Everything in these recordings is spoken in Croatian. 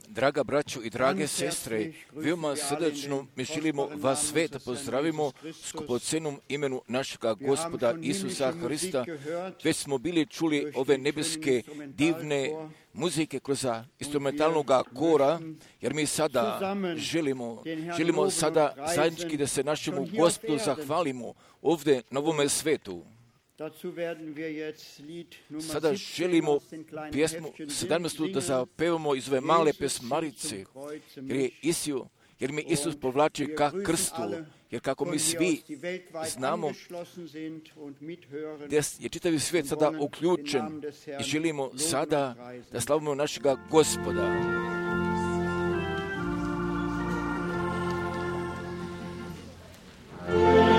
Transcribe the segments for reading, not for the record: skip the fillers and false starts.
Draga braćo i drage sestre, veoma srdačno mi želimo vas sve da pozdravimo skupocenom imenu našega Gospoda Isusa Hrista. Već smo bili čuli ove nebeske divne muzike kroz instrumentalnog kora, jer mi sada želimo sada zajednički da se našemu Gospodu zahvalimo ovdje na ovome svetu. Sada želimo pjesmu 17. da zapevamo iz ove male pesmarice, jer mi Isus povlači ka krstu, jer kako mi svi znamo da je čitavi svijet sada uključen i želimo sada da slavimo našega Gospoda. Yeah.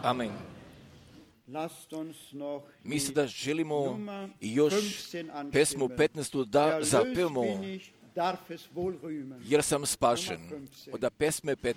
Amen. Mi sada želimo još pesmu 15. da zapevamo, jer sam spašen. Od pesme 15.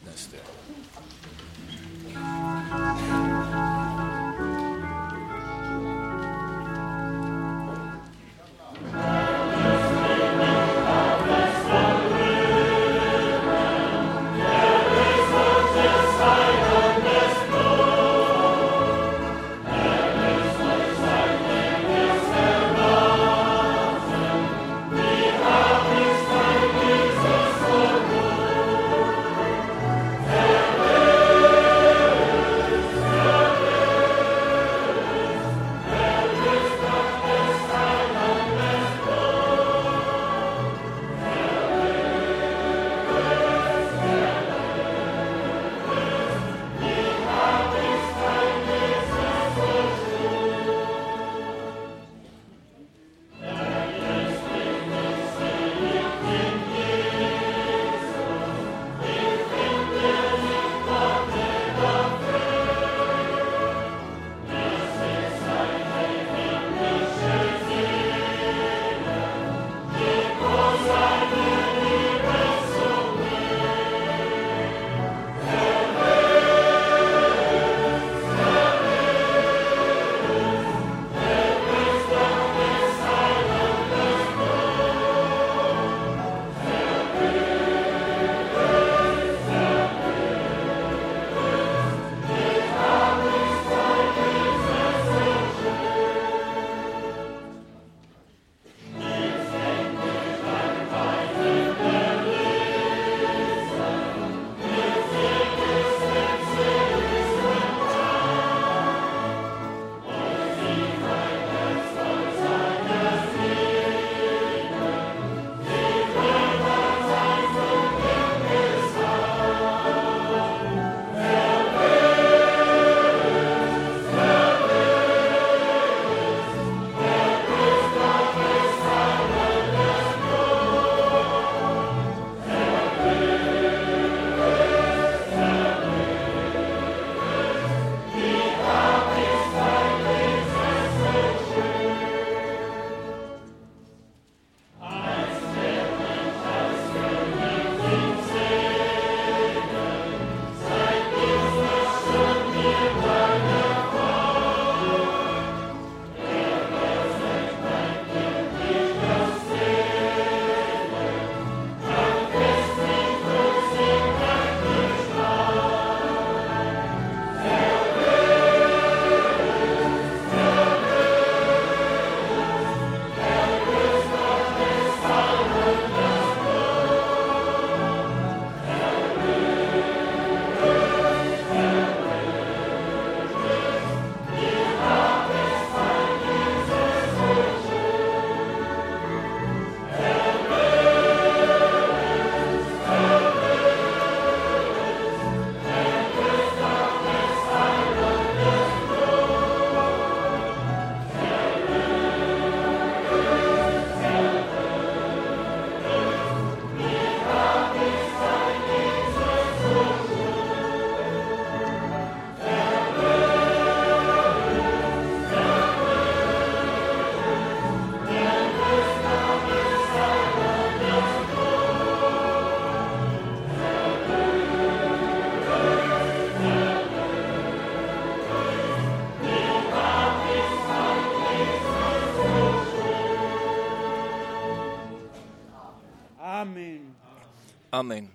Amen.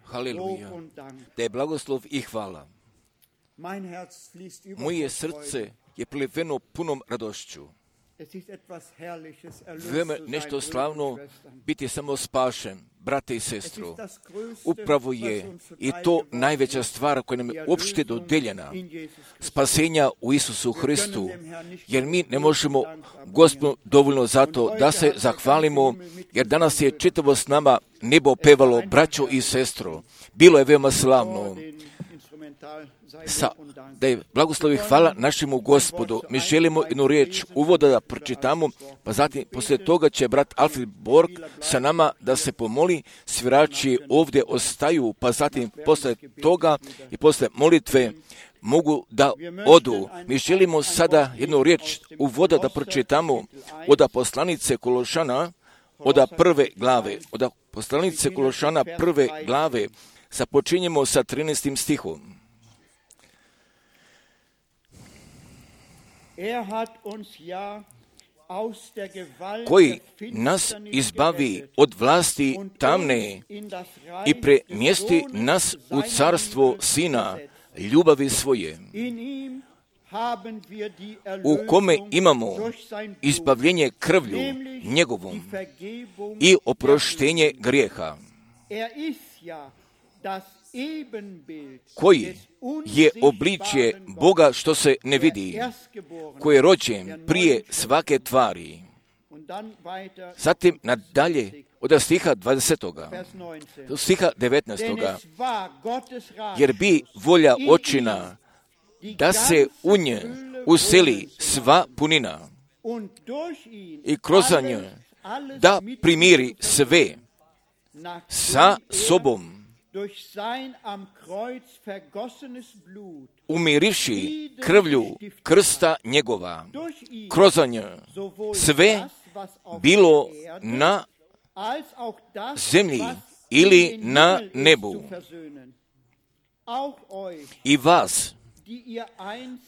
Haleluja. Da je blagoslov i hvala. Moje srce je pliveno punom radošću. Veoma nešto slavno biti samo spašen, brate i sestro. Upravo je i to najveća stvar koja nam je uopšte dodeljena. Spasenja u Isusu Hristu, jer mi ne možemo Gospodu dovoljno zato da se zahvalimo, jer danas je čitavo s nama nebo pevalo, braćo i sestro. Bilo je veoma slavno. Da je blagoslovi hvala našemu Gospodu. Mi želimo jednu riječ uvoda da pročitamo, pa zatim poslije toga će brat Alfred Borg sa nama da se pomoli. Svirači ovdje ostaju, pa zatim poslije toga i poslije molitve mogu da odu. Mi želimo sada jednu riječ uvoda da pročitamo od poslanice Kološana, od prve glave. Od poslanice Kološana prve glave započinjemo sa 13. stihom. Koji nas izbavi od vlasti tamne i premjesti nas u carstvo Sina ljubavi svoje, u kome imamo izbavljenje krvlju njegovom i oproštenje grijeha, koji je obličje Boga što se ne vidi, koji je rođen prije svake tvari. Zatim nadalje od stiha 20. do stiha 19. Jer bi volja očina da se u nje useli sva punina i kroz nje da primiri sve sa sobom, umirivši krvlju krsta njegova, kroz nje sve bilo na zemlji ili na nebu. I vas,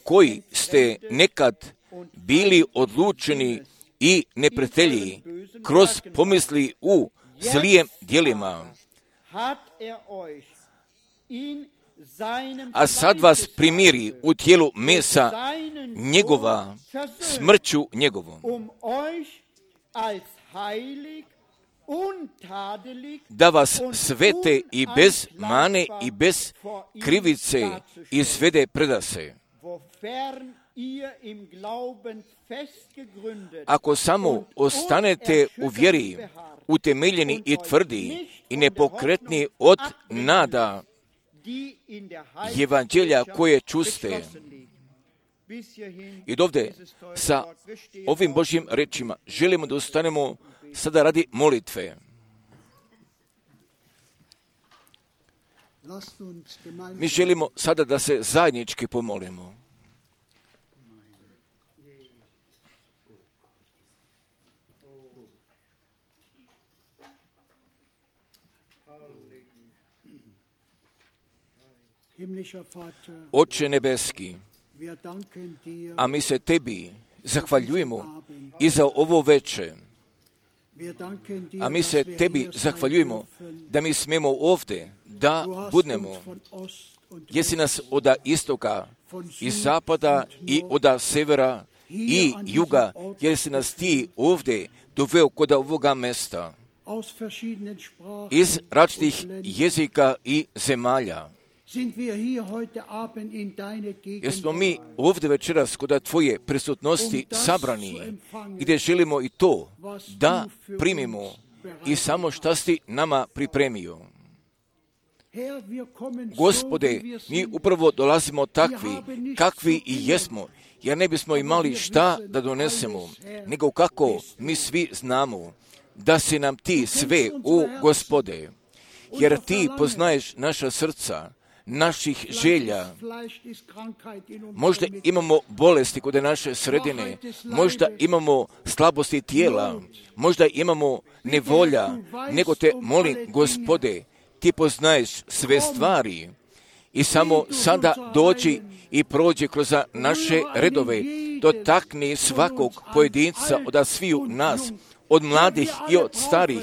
koji ste nekad bili odlučeni i neprijatelji kroz pomisli u zlijem djelima, a sad vas primiri u tijelu mesa njegova smrću njegovom, da vas svete i bez mane i bez krivice izvede predase. Ako samo ostanete u vjeri, utemeljeni i tvrdi i nepokretni od nada evanđelja koje čuste. I dovde sa ovim Božjim rečima želimo da ustanemo sada radi molitve. Mi želimo sada da se zajednički pomolimo. Oče nebeski, a mi se tebi zahvaljujemo i za ovo veče. A mi se tebi zahvaljujemo da mi smemo ovdje da budemo. Jesi nas od istoka i zapada i od severa i juga, jesi nas ti ovdje doveo kod ovoga mesta iz različitih jezika i zemalja. Jesmo mi ovdje večeras kod tvoje prisutnosti sabrani, gdje želimo i to da primimo i samo šta si nama pripremio. Gospode, mi upravo dolazimo takvi, kakvi i jesmo, jer ne bismo imali šta da donesemo, nego kako mi svi znamo da si nam ti sve u Gospode, jer ti poznaješ naša srca, naših želja. Možda imamo bolesti kod naše sredine, možda imamo slabosti tijela, možda imamo nevolja, nego te molim, Gospode, ti poznaješ sve stvari i samo sada dođi i prođi kroz naše redove, dotakni svakog pojedinca od sviju nas, od mladih i od starih,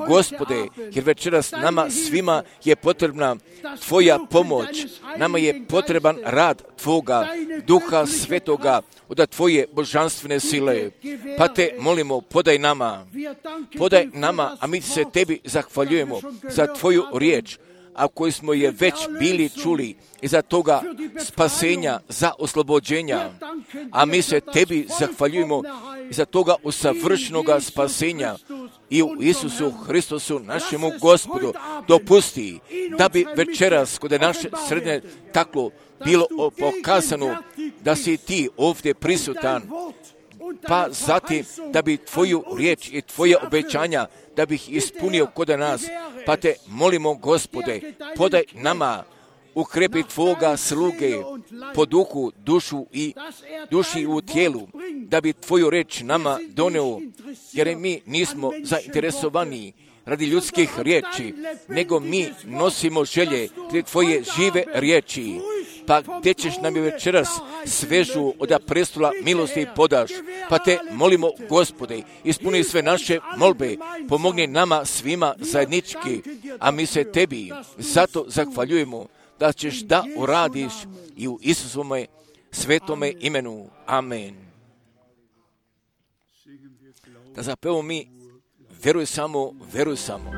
Gospode, jer večeras nama svima je potrebna tvoja pomoć, nama je potreban rad tvoga Duha Svetoga, od tvoje božanstvene sile. Pa te molimo, podaj nama, a mi se tebi zahvaljujemo za tvoju riječ, a koju smo je već bili čuli, i za toga spasenja, za oslobođenja. A mi se tebi zahvaljujemo i za toga usavršenoga spasenja i u Isusu Hristosu, našemu Gospodu. Dopusti da bi večeras kod naše srednje taklo bilo pokazano da si ti ovdje prisutan, pa zatim da bi tvoju riječ i tvoje obećanja da bih ispunio kod nas. Pa te molimo, Gospode, podaj nama ukrepi Tvoga sluge po duhu, duši i u tijelu, da bi Tvoju reč nama doneo, jer mi nismo zainteresovani radi ljudskih riječi, nego mi nosimo želje radi Tvoje žive riječi. Pa gdje ćeš nam je večeras svežu od prestola milosti podaš, pa te molimo, Gospode, ispuni sve naše molbe, pomogni nama svima zajednički, a mi se Tebi zato zahvaljujemo da ćeš da uradiš i u Isusovome svetome imenu. Amen. Da zapevamo mi, veruj samo, veruj samo.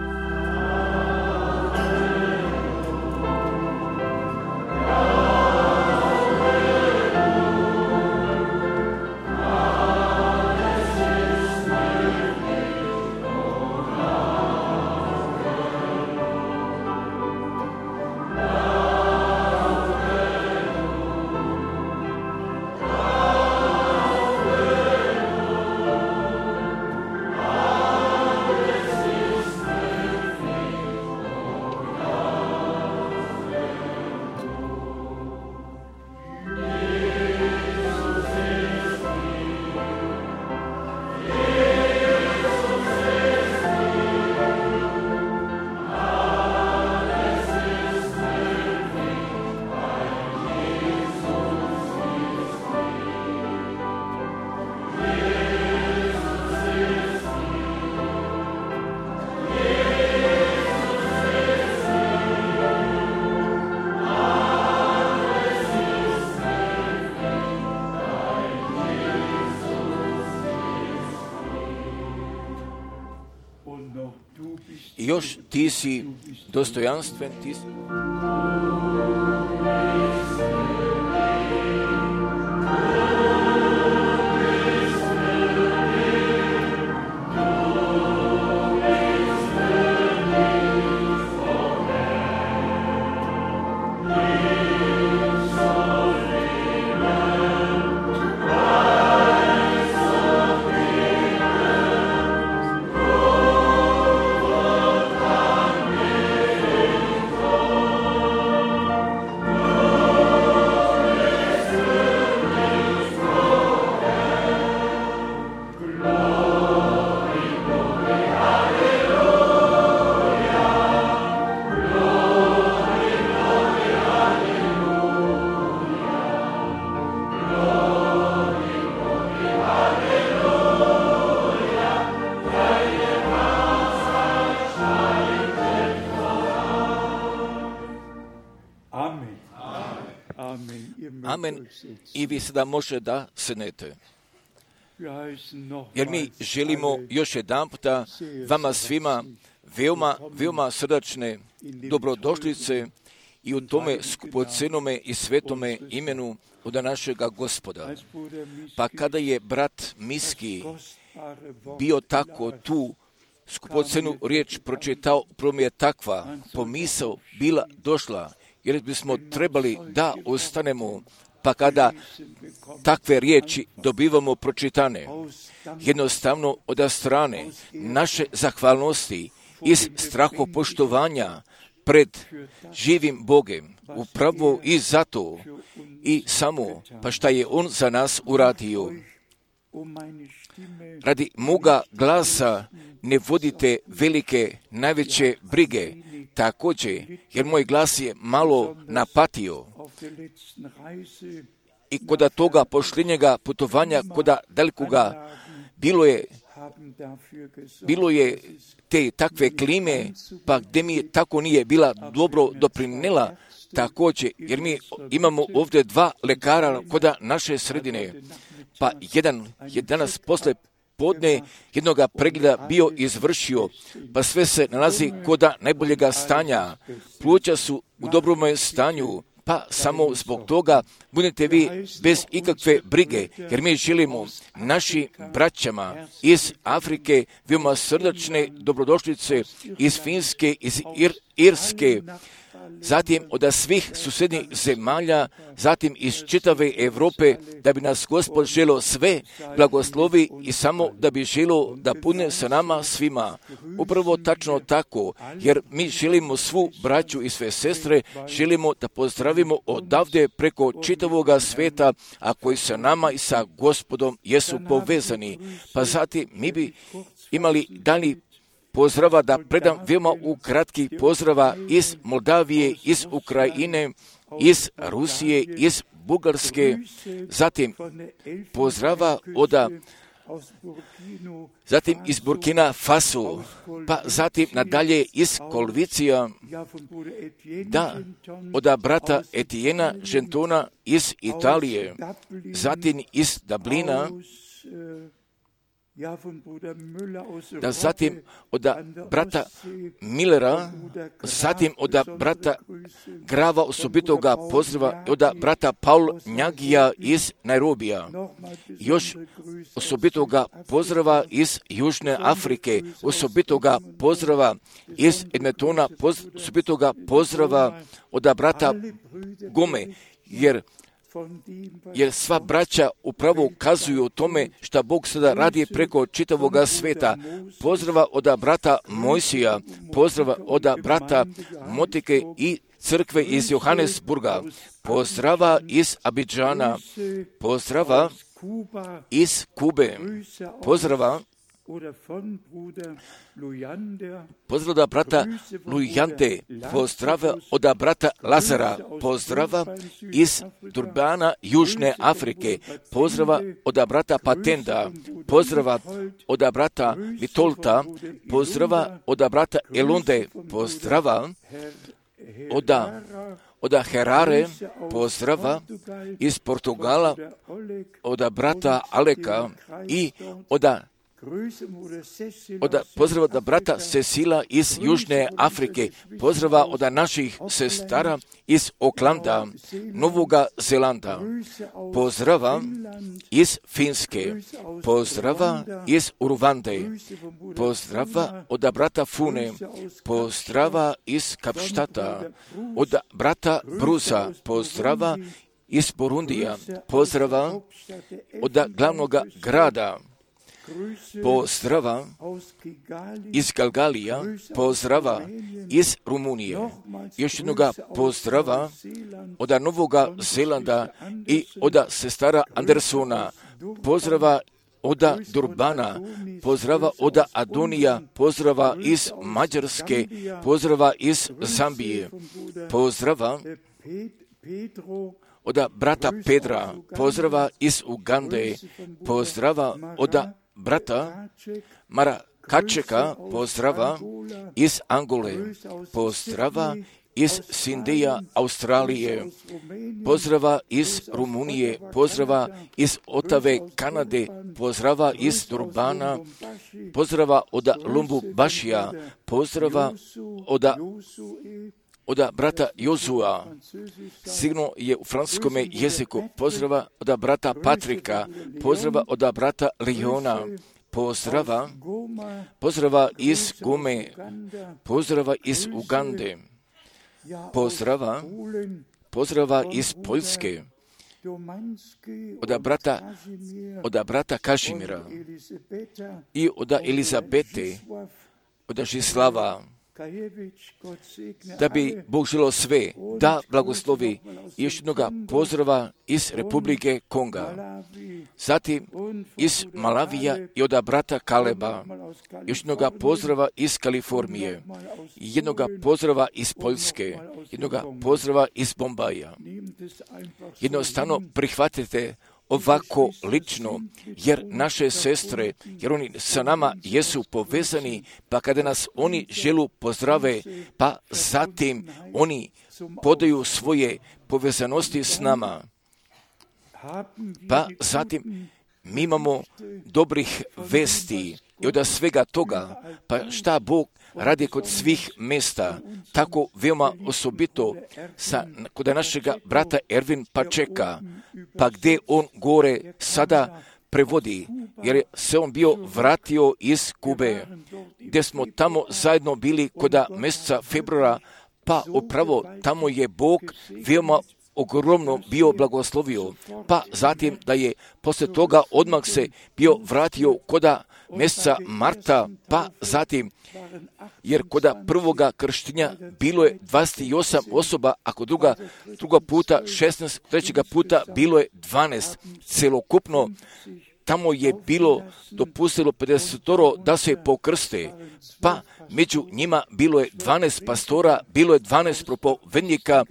Još ti si dostojanstven, ti si... Amen. I vi sada možete da sednete. Jer mi želimo još jedan puta vama svima veoma srdačne dobrodošlice i u tome skupocenome i svetome imenu od našega Gospoda. Pa kada je brat Miski bio tako tu skupocenu riječ pročitao, prvo mi je takva pomisao bila došla, jer bismo trebali da ostanemo, pa kada takve riječi dobivamo pročitane, jednostavno od strane naše zahvalnosti iz strahopoštovanja pred živim Bogem, upravo i zato i samo, pa šta je On za nas uradio. Radi moga glasa ne vodite velike, najveće brige, također, jer moj glas je malo napatio. I koda toga pošljenjega putovanja, koda dalikoga, bilo je te takve klime, pa gdje mi tako nije bila dobro doprinela, također, jer mi imamo ovdje 2 lekara koda naše sredine, pa jedan je danas posle podne jednoga pregleda bio izvršio, pa sve se nalazi koda najboljega stanja, pluća su u dobrome stanju, pa samo zbog toga budete vi bez ikakve brige, jer mi želimo naši braćama iz Afrike veoma srdačne dobrodošlice, iz Finske, iz Irske, zatim od svih susjednih zemalja, zatim iz čitave Europe, da bi nas Gospod želo sve blagoslovi i samo da bi želo da pune sa nama svima. Upravo tačno tako, jer mi želimo svu braću i sve sestre, želimo da pozdravimo odavde preko čitavoga sveta, a koji sa nama i sa Gospodom jesu povezani. Pa zatim mi bi imali dalji pozdrava da predam veoma u kratki pozdrava iz Moldavije, iz Ukrajine, iz Rusije, iz Bugarske, zatim pozdrava zatim iz Burkina Faso, pa zatim nadalje iz Kolvicija, da, od brata Etijena Žentona iz Italije, zatim iz Dublina, da zatim od brata Millera, zatim od brata Grava osobitoga pozdrava, od brata Paul Njagija iz Nairobija, još osobitoga pozdrava iz Južne Afrike, osobitoga pozdrava iz Edmontona, osobitoga pozdrava od brata Gome, jer sva braća upravo ukazuju o tome šta Bog sada radi preko čitavoga sveta. Pozdrava od brata Mojsija, pozdrava od brata Motike i crkve iz Johannesburga, pozdrava iz Abidžana, pozdrava iz Kube, pozdrava od brata Lujande, pozdrava od brata Lazara, pozdrava iz Durbana, Južne Afrike, pozdrava od brata Patenda, pozdrava od brata Vitolta, pozdrava od brata Elunde, pozdrava od Herare, pozdrava iz Portugala, od brata Aleka i pozdrava od brata Cecila iz Južne Afrike, pozdrava od naših sestara iz Oklanda, Novoga Zelanda, pozdrava iz Finske, pozdrava iz Uruvande, pozdrava od brata Fune, pozdrava iz Kapštata, od brata Brusa, pozdrava iz Burundija, pozdrava od glavnog grada, pozdrava iz Galgalija, pozdrava iz Rumunije, još jednoga pozdrava od Novoga Zelanda i od sestara Andersona, pozdrava od Durbana, pozdrava od Adonija, pozdrava iz Mađarske, pozdrava iz Zambije, pozdrava od brata Pedra, pozdrava iz Ugande, pozdrava od brata Mara Kačeka, pozdrava iz Angole, pozdrava iz Sindija, Australije, pozdrava iz Rumunije, pozdrava iz Otave, Kanade, pozdrava iz Durbana, pozdrava od Lumbubašija, pozdrava od brata Jozua, sigurno je u francuskom jeziku, pozdrava od brata Patrika, pozdrava od brata Leona, pozdrava iz Gome, pozdrava iz Ugande, pozdrava iz Poljske, od brata Kažimira i od Elizabete, od Žislava, da bi Bog želio sve da blagoslovi. Još jednoga pozdrava iz Republike Konga, zatim iz Malavija i od brata Kaleba, još jednoga pozdrava iz Kalifornije, jednoga pozdrava iz Poljske, jednoga pozdrava iz Bombaja. Jednostavno prihvatite ovako lično, jer naše sestre, jer oni sa nama jesu povezani, pa kada nas oni želu pozdrave, pa zatim oni podaju svoje povezanosti s nama. Pa zatim mi imamo dobrih vesti i od svega toga, pa šta Bog radi kod svih mjesta, tako veoma osobito kod našega brata Ervin Pačeka, pa gdje on gore sada prevodi, jer se on bio vratio iz Kube, gdje smo tamo zajedno bili kod mjeseca februara, pa upravo tamo je Bog veoma ogromno bio blagoslovio, pa zatim da je poslije toga odmah se bio vratio koda mjeseca marta, pa zatim, jer koda prvoga krštenja bilo je 28 osoba, ako druga puta 16, trećega puta bilo je 12. Celokupno tamo je bilo dopustilo 50 da se pokrste, pa među njima bilo je 12 pastora, bilo je 12 propovednika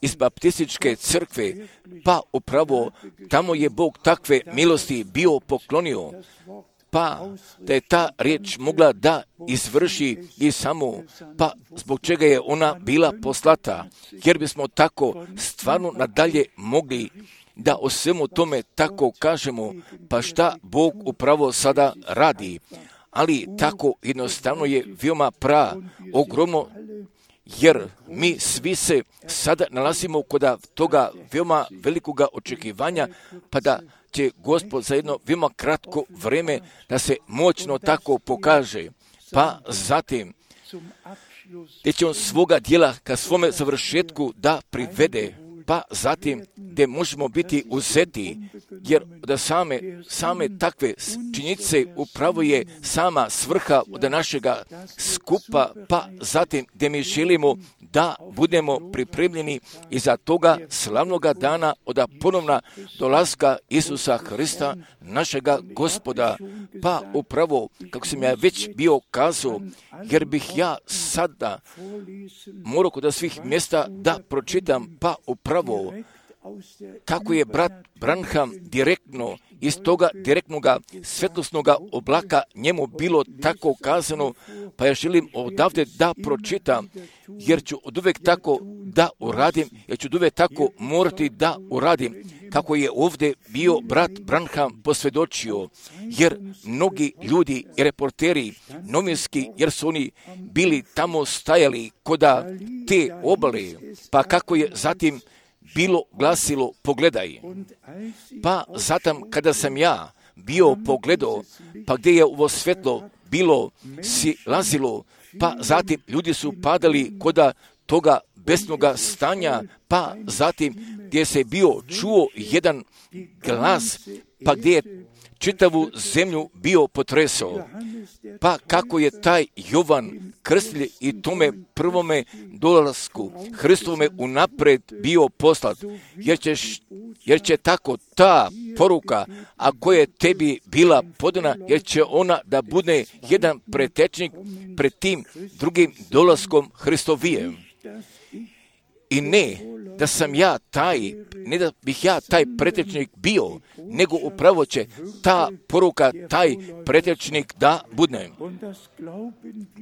iz baptističke crkve, pa upravo tamo je Bog takve milosti bio poklonio, pa da je ta riječ mogla da izvrši i samo, pa zbog čega je ona bila poslata, jer bismo tako stvarno nadalje mogli da o svemu tome tako kažemo, pa šta Bog upravo sada radi. Ali tako jednostavno je veoma ogromno, jer mi svi se sada nalazimo kod toga veoma velikoga očekivanja, pa da će Gospod za jedno veoma kratko vrijeme da se moćno tako pokaže. Pa zatim, gdje će on svoga djela ka svome završetku da privede, pa zatim gdje možemo biti uzeti, jer da same takve činjenice upravo je sama svrha od našega skupa, pa zatim gdje mi želimo da budemo pripremljeni iza toga slavnoga dana od ponovna dolaska Isusa Hrista, našega Gospoda. Pa upravo, kako sam ja već bio kazao, jer bih ja sada morao kod svih mjesta da pročitam, pa upravo kako je brat Branham direktno iz toga direktnoga svjetlosnoga oblaka njemu bilo tako kazano, pa ja želim odavde da pročitam, jer ću oduvijek tako da uradim, jer ću oduvijek tako morati da uradim, kako je ovdje bio brat Branham posvjedočio, jer mnogi ljudi i reporteri novinski, jer su oni bili tamo stajali koda te obale, pa kako je zatim bilo glasilo pogledaj. Pa zatim kada sam ja bio pogledao, pa gdje je ovo svjetlo bilo silazilo, pa zatim ljudi su padali koda toga besnoga stanja, pa zatim gdje se bio čuo jedan glas, pa gdje je čitavu zemlju bio potresao. Pa kako je taj Jovan Krstitelj i tome prvome dolasku Hristovome unaprijed bio poslat, jer će tako ta poruka, a koja je tebi bila podana, jer će ona da bude jedan pretečnik pred tim drugim dolaskom Hristovijem. I ne da sam ja taj, ne da bih ja taj pretečnik bio, nego upravo će ta poruka, taj pretečnik da bude.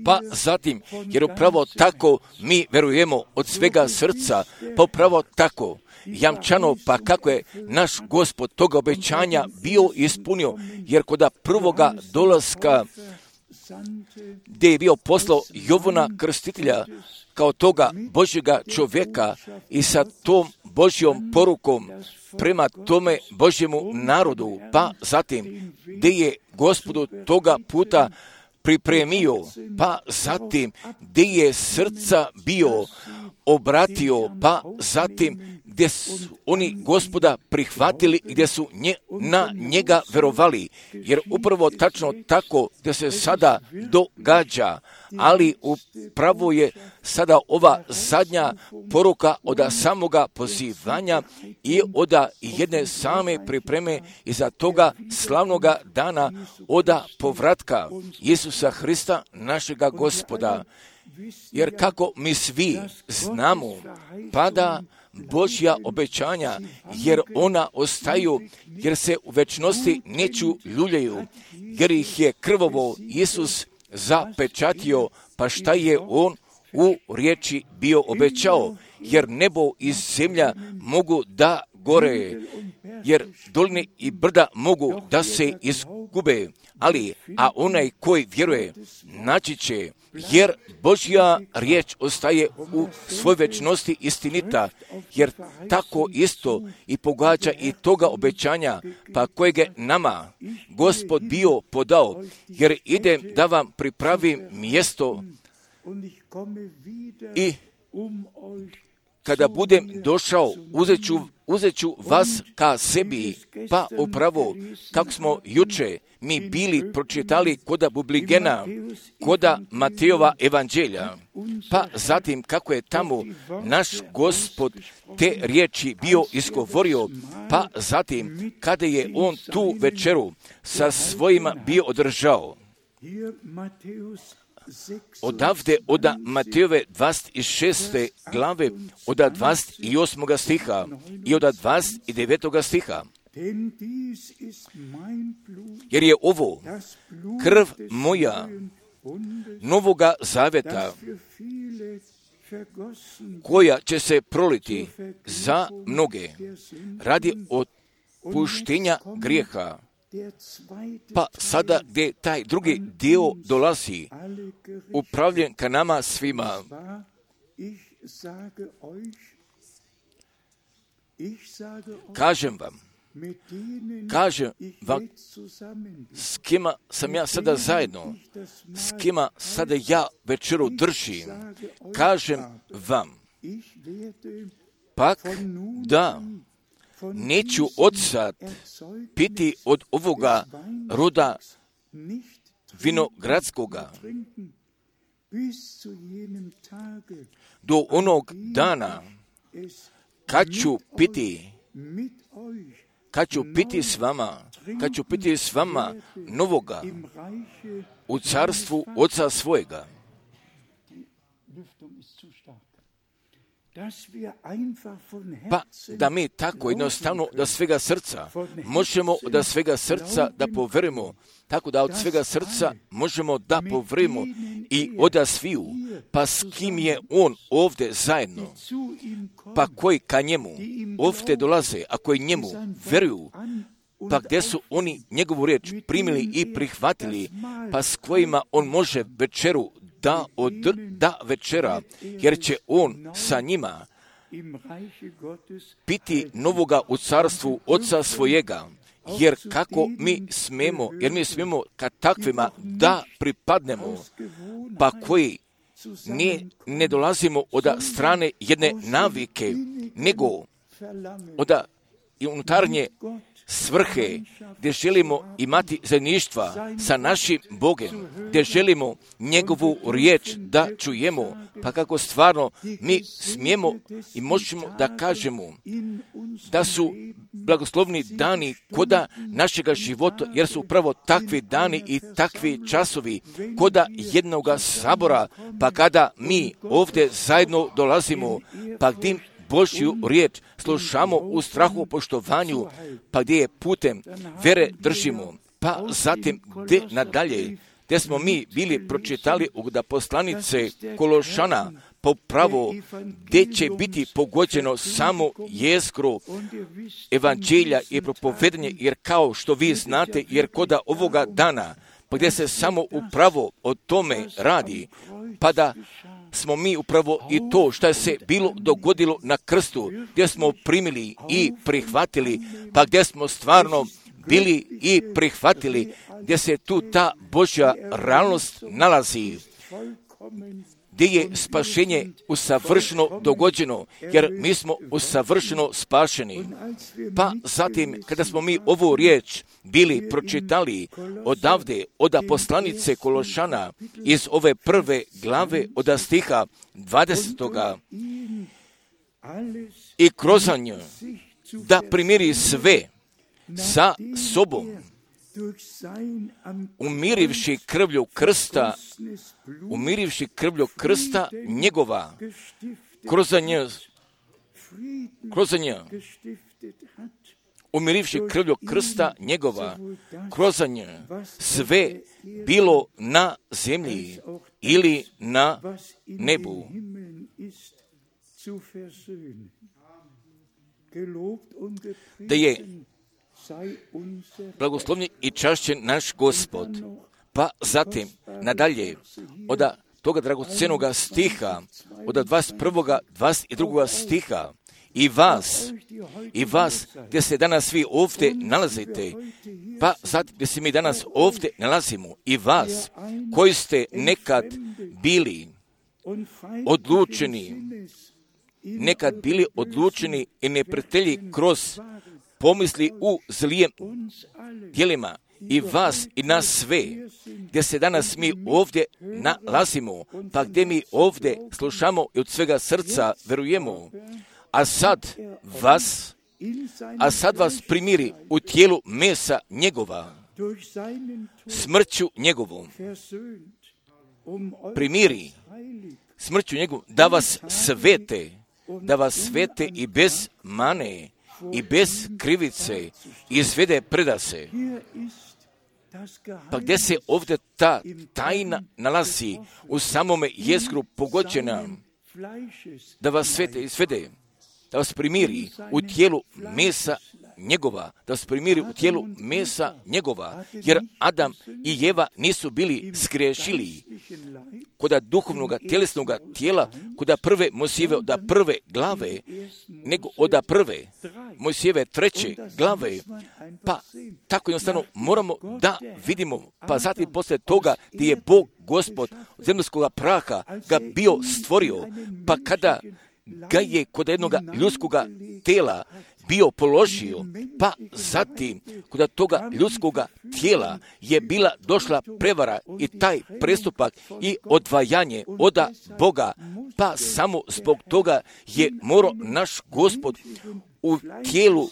Pa zatim, jer upravo tako mi verujemo od svega srca, pa upravo tako jamčano, pa kako je naš Gospod toga obećanja bio ispunio, jer kod prvoga dolaska gdje je bio poslao Jovana Krstitelja kao toga Božjega čovjeka i sa tom Božjom porukom prema tome Božjemu narodu, pa zatim gdje je Gospodu toga puta pripremio, pa zatim gdje je srca bio obratio, pa zatim gdje su oni Gospoda prihvatili i gdje su na njega verovali, jer upravo tačno tako gdje se sada događa, ali upravo je sada ova zadnja poruka od samoga pozivanja i od jedne same pripreme iza toga slavnoga dana od povratka Isusa Hrista, našega Gospoda. Jer kako mi svi znamo, pada Božja obećanja, jer ona ostaju, jer se u večnosti neću ljuljaju, jer ih je krvovo Isus zapečatio, pa šta je on u riječi bio obećao, jer nebo i zemlja mogu da gore, jer doline i brda mogu da se izgube, a onaj koji vjeruje naći će, jer Božja riječ ostaje u svoj večnosti istinita, jer tako isto i pogađa i toga obećanja, pa kojeg je nama Gospod bio podao, jer idem da vam pripravim mjesto i kada budem došao, uzet ću vas ka sebi, pa upravo, kako smo juče mi bili pročitali koda Bubligena, koda Matejova evanđelja, pa zatim kako je tamo naš Gospod te riječi bio izgovorio, pa zatim kada je on tu večeru sa svojima bio održao. Odavde od Matejove 26. glave, od 28. stiha i od 29. stiha. Jer je ovo krv moja novoga zaveta, koja će se proliti za mnoge radi otpuštenja grijeha. Pa sada gdje taj drugi dio dolazi, upravljen ka nama svima. Kažem vam, s kima sam ja sada zajedno, s kima sada ja večeru držim, kažem vam, pak da neću odsad piti od ovoga roda vinogradskoga do onog dana kad ću piti s vama novoga u carstvu Oca svojega. Pa da mi tako jednostavno da svega srca možemo da svega srca da poverimo, tako da od svega srca možemo da poverimo i odasviju, pa s kim je on ovdje zajedno, pa koji ka njemu ovdje dolaze, a koji njemu veruju, pa gdje su oni njegovu riječ primili i prihvatili, pa s kojima on može večeru da večera, jer će on sa njima piti novoga u carstvu Oca svojega, jer mi smemo ka takvima da pripadnemo, pa koji ne dolazimo od strane jedne navike, nego od unutarnje svrhe, gdje želimo imati zajedništva sa našim Bogom, gdje želimo njegovu riječ da čujemo, pa kako stvarno mi smijemo i možemo da kažemo da su blagoslovni dani koda našega života, jer su upravo takvi dani i takvi časovi koda jednoga sabora, pa kada mi ovdje zajedno dolazimo, pa gdje Božju riječ slušamo u strahu poštovanju, pa gdje je putem vere držimo, pa zatim gdje nadalje, gdje smo mi bili pročitali da poslanice Kološana popravo, gdje će biti pogođeno samo jezgro evanđelja i propovedanje, jer kao što vi znate, jer koda ovoga dana, pa gdje se samo upravo o tome radi, pa da smo mi upravo i to što je se bilo dogodilo na krstu, gdje smo primili i prihvatili, pa gdje smo stvarno bili i prihvatili, gdje se tu ta Božja realnost nalazi, gdje je spašenje usavršeno dogođeno, jer mi smo usavršeno spašeni. Pa zatim, kada smo mi ovu riječ bili pročitali odavde, od poslanice Kološana, iz ove prve glave od stiha 20. i kroz nju da primiri sve sa sobom, umirivši krvlju krsta njegova, kroz nju, umirivši krvlju krsta njegova, kroz nju sve bilo na zemlji ili na nebu. Da je blagoslovljen i čašćen naš Gospod. Pa zatim, nadalje, od toga dragocenoga stiha, od 21. 22. stiha, i vas, gdje se danas vi ovdje nalazite, pa zatim gdje se mi danas ovdje nalazimo, i vas, koji ste nekad bili odlučeni nekad bili odlučeni i neprijatelji kroz pomisli u zlijem djelima, i vas i nas sve, gdje se danas mi ovdje nalazimo, pa gdje mi ovdje slušamo i od svega srca verujemo, a sad vas primiri u tijelu mesa njegova, smrću njegovom, primiri smrću njegovom, da vas svete i bez mane i bez krivice izvede predase. Pa gdje se ovdje ta tajna nalazi u samome jezgru pogođena, da vas svete i svede, da vas primiri u tijelu mesa njegova, da vas primiri u tijelu mesa njegova, jer Adam i Eva nisu bili zgriješili koda duhovnoga, tjelesnog tijela, koda prve Mojsijeve od prve glave, nego od prve Mojsijeve treće glave, pa tako jednostavno moramo da vidimo, pa zatim poslije toga gdje je Bog Gospod od zemaljskoga praha ga bio stvorio, pa kada ga je kod jednog ljudskoga tijela bio položio, pa zatim kod toga ljudskoga tijela je bila došla prevara i taj prestupak i odvajanje od Boga, pa samo zbog toga je morao naš Gospod u tijelu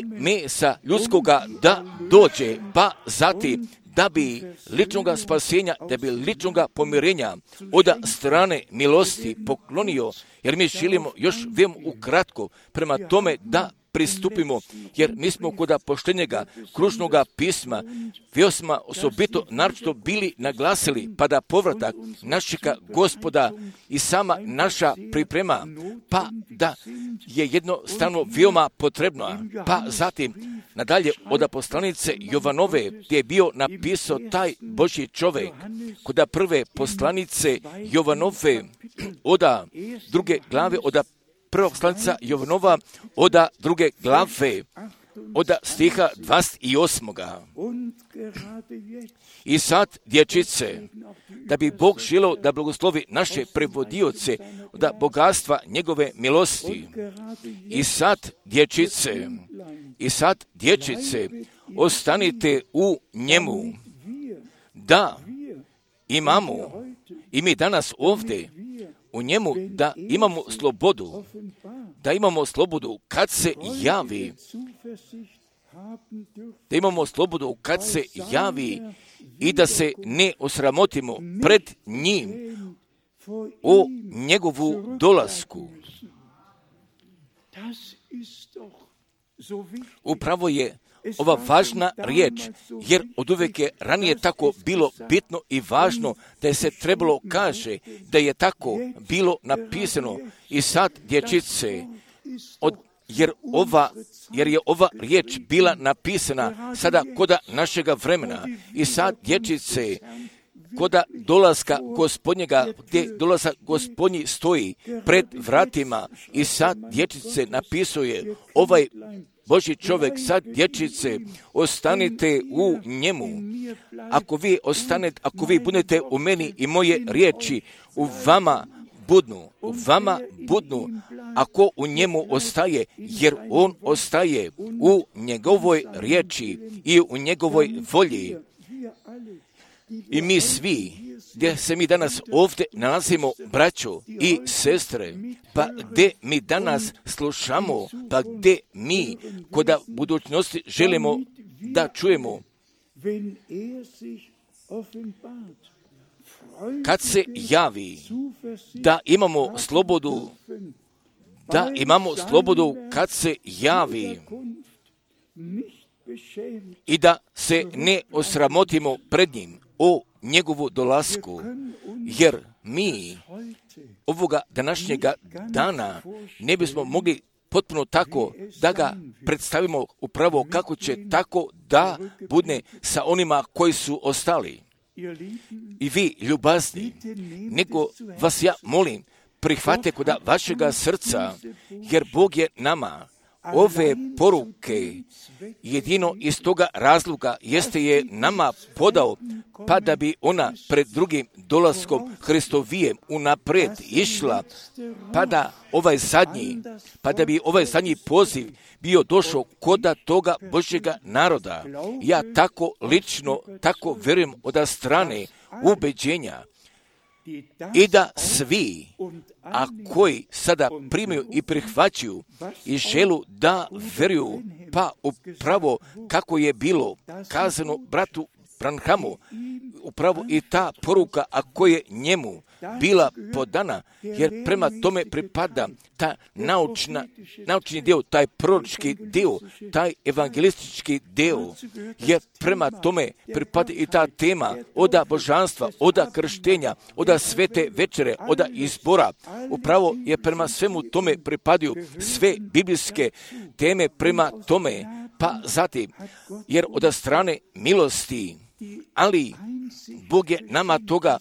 mesa ljudskoga da dođe, pa zatim da bi ličnoga spasenja, da bi ličnoga pomirenja od strane milosti poklonio, jer mi želimo još veoma ukratko prema tome da pristupimo, jer mi smo kod poštenjega kružnoga pisma veoma osobito naročito bili naglasili, pa da povratak našega Gospoda i sama naša priprema, pa da je jednostavno veoma potrebno, pa zatim nadalje od poslanice Jovanove, gdje je bio napisao taj Božji čovjek, kod prve poslanice Jovanove od druge glave, od prvog poslanica Jovanova od druge glave, od stiha 28. I sad, dječice, da bi Bog želeo da blagoslovi naše prevodioce od bogatstva njegove milosti. I sad, dječice, ostanite u njemu, da imamo, i mi danas ovdje, u njemu da imamo slobodu kad se javi, i da se ne osramotimo pred njim o njegovu dolasku. Upravo je ova važna riječ, jer od uvijek je ranije tako bilo bitno i važno da je se trebalo kaže da je tako bilo napisano. I sad, dječice, jer je ova riječ bila napisana sada koda našega vremena. I sad, dječice, koda dolaska Gospodnjega, gdje dolazak Gospodnji stoji pred vratima, i sad, dječice, napisuje ovaj Božji čovjek, sad, dječice, ostanite u njemu. Ako vi budete u meni i moje riječi u vama budnu, ako u njemu ostaje, jer on ostaje u njegovoj riječi i u njegovoj volji. I mi svi, gdje se mi danas ovdje nalazimo, braćo i sestre, pa gdje mi danas slušamo, pa gdje mi kod budućnosti želimo da čujemo, kad se javi, da imamo slobodu kad se javi, i da se ne osramotimo pred njim o njegovu dolasku, jer mi ovoga današnjega dana ne bismo mogli potpuno tako da ga predstavimo upravo kako će tako da bude sa onima koji su ostali. I vi, ljubazni, nego vas ja molim, prihvate kod vašega srca, jer Bog je nama ove poruke jedino iz toga razloga jeste je nama podao, pa da bi ona pred drugim dolaskom Hristovijem unaprijed išla, pa da bi ovaj zadnji poziv bio došao koda toga Božjega naroda. Ja tako lično, tako vjerujem od strane ubeđenja i da svi, a koji sada primaju i prihvaćaju i želu da vjeruju, pa upravo kako je bilo kazano bratu Branhamu, upravo i ta poruka, a koja je njemu bila podana, jer prema tome pripada ta naučni dio, taj proročki dio, taj evangelistički dio, jer prema tome pripada i ta tema oda božanstva, oda krštenja, oda svete večere, oda izbora. Upravo je prema svemu tome pripadaju sve biblijske teme prema tome, pa zatim, jer od strane milosti, ali Bog je nama toga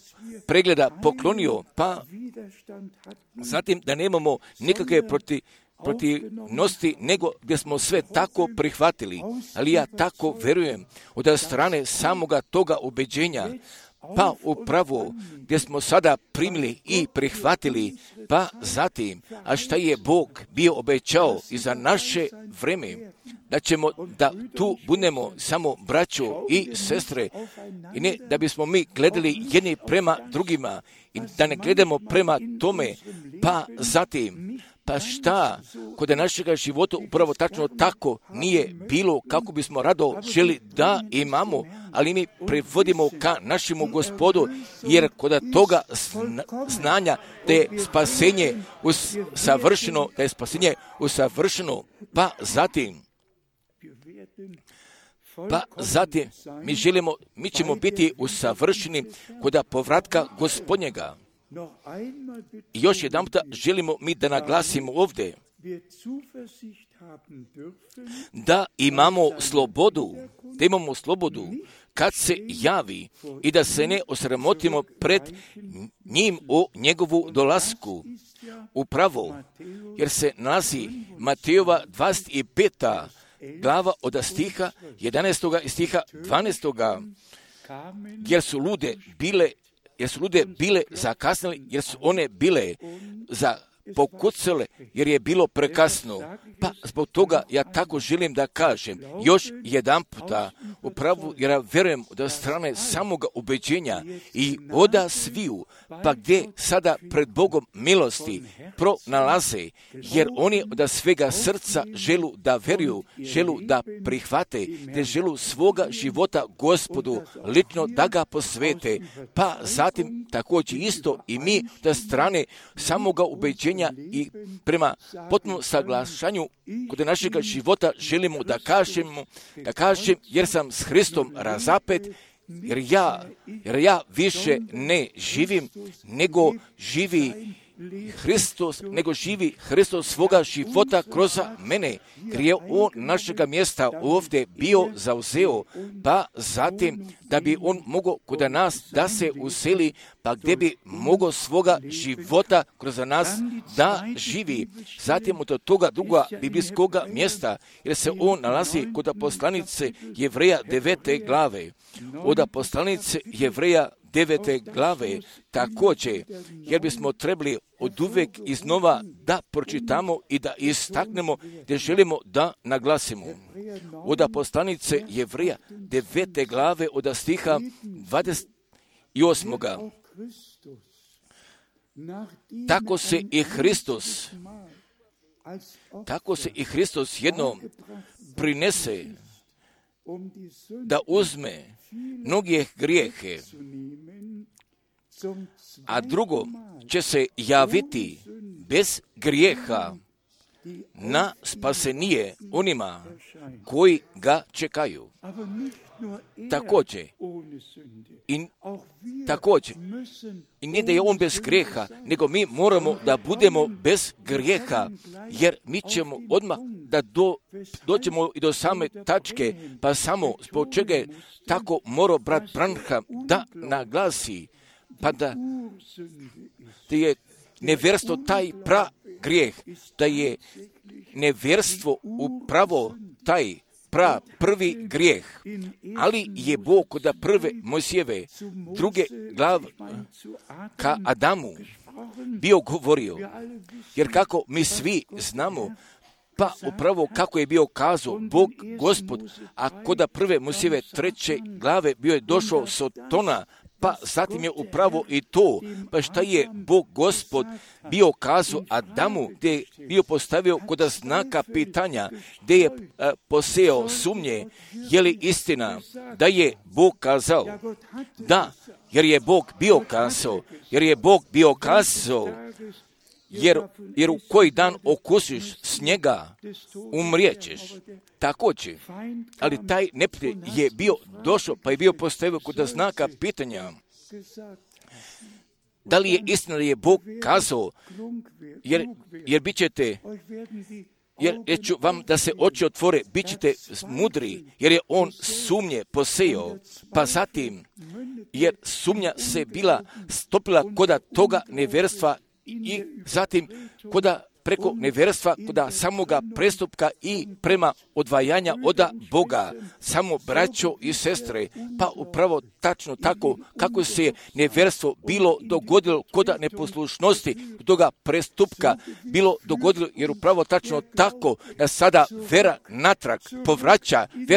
pregleda poklonio, pa zatim da nemamo nikakve protivnosti, nego gdje smo sve tako prihvatili. Ali ja tako vjerujem od strane samoga toga ubeđenja, pa upravo gdje smo sada primili i prihvatili, pa zatim, a šta je Bog bio obećao i za naše vreme, da tu budemo samo braćo i sestre, i ne da bismo mi gledali jedni prema drugima i da ne gledamo prema tome, pa zatim, pa šta kod našega života upravo tačno tako nije bilo kako bismo rado želi da imamo, ali mi prevodimo ka našemu Gospodu, jer kod toga znanja da je spasenje usavršeno, pa zatim mi ćemo biti usavršeni kod povratka Gospodnjega. I još jedanput želimo mi da naglasimo ovdje da imamo slobodu kad se javi i da se ne osramotimo pred njim o njegovu dolasku. Upravo, jer se nalazi Matejova 25. glava od stiha 11. i stiha 12. jer su lude bile zakasnile, jer su one bile pokucale, jer je bilo prekasno. Pa zbog toga ja tako želim da kažem još jedan puta, upravo jer ja vjerujem od strane samoga ubeđenja i oda sviju, pa gdje sada pred Bogom milosti pronalaze, jer oni od svega srca želu da vjeruju, želu da prihvate, te želu svoga života Gospodu lično da ga posvete, pa zatim također isto i mi od strane samoga ubeđenja i prema potpunom saglašanju kod našega života želimo da kažem jer sam s Hristom razapet, jer ja više ne živim, nego živi Hristos svoga života kroz mene, jer je on našega mjesta ovdje bio zauzeo, pa zatim da bi on mogao kod nas da se useli, pa gdje bi mogao svoga života kroz nas da živi. Zatim od toga druga biblijskoga mjesta, jer se on nalazi kod poslanice Jevreja 9. glave. Od poslanice Jevreja 9. glave također, jer bismo trebali od uvijek iznova da pročitamo i da istaknemo gdje želimo da naglasimo. Od poslanice Jevreja 9. glave od stiha 28. Tako se i Hristos jednom prinese da uzme mnoge grijehe, a drugo će se javiti bez grijeha na spasenije onima koji ga čekaju. Također, i ne da je on bez grijeha, nego mi moramo da budemo bez grijeha, jer mi ćemo odmah da dođemo i do same tačke, pa samo zbog čega je tako morao brat Branham da naglasi, pa da je nevjerstvo taj grijeh, da je nevjerstvo upravo taj prvi grijeh, ali je Bog kod prve Mojsijeve druge glave ka Adamu bio govorio, jer kako mi svi znamo, pa upravo kako je bio kazao Bog Gospod, a kod prve Mojsijeve treće glave bio je došao Sotona, pa zatim je upravo i to, pa šta je Bog Gospod bio kazao Adamu, gdje je bio postavio kod znaka pitanja, gdje je posejao sumnje, je li istina da je Bog kazao? Da, jer je Bog bio kazao, jer u koji dan okusiš snijega, umrijećeš. Također, ali taj neprijatelj je bio došao, pa je bio postavio kod znaka pitanja, da li je istina da je Bog kazao, jer bit ćete, jer ću vam da se oči otvore, bit ćete mudri, jer je on sumnje posejao, pa zatim, jer sumnja se bila stopila koda toga nevjerstva i zatim koda preko nevjerstva, koda samoga prestupka i prema odvajanja od Boga, samo braćo i sestre, pa upravo tačno tako kako se je nevjerstvo bilo dogodilo koda neposlušnosti toga prestupka bilo dogodilo, jer upravo tačno tako da sada vera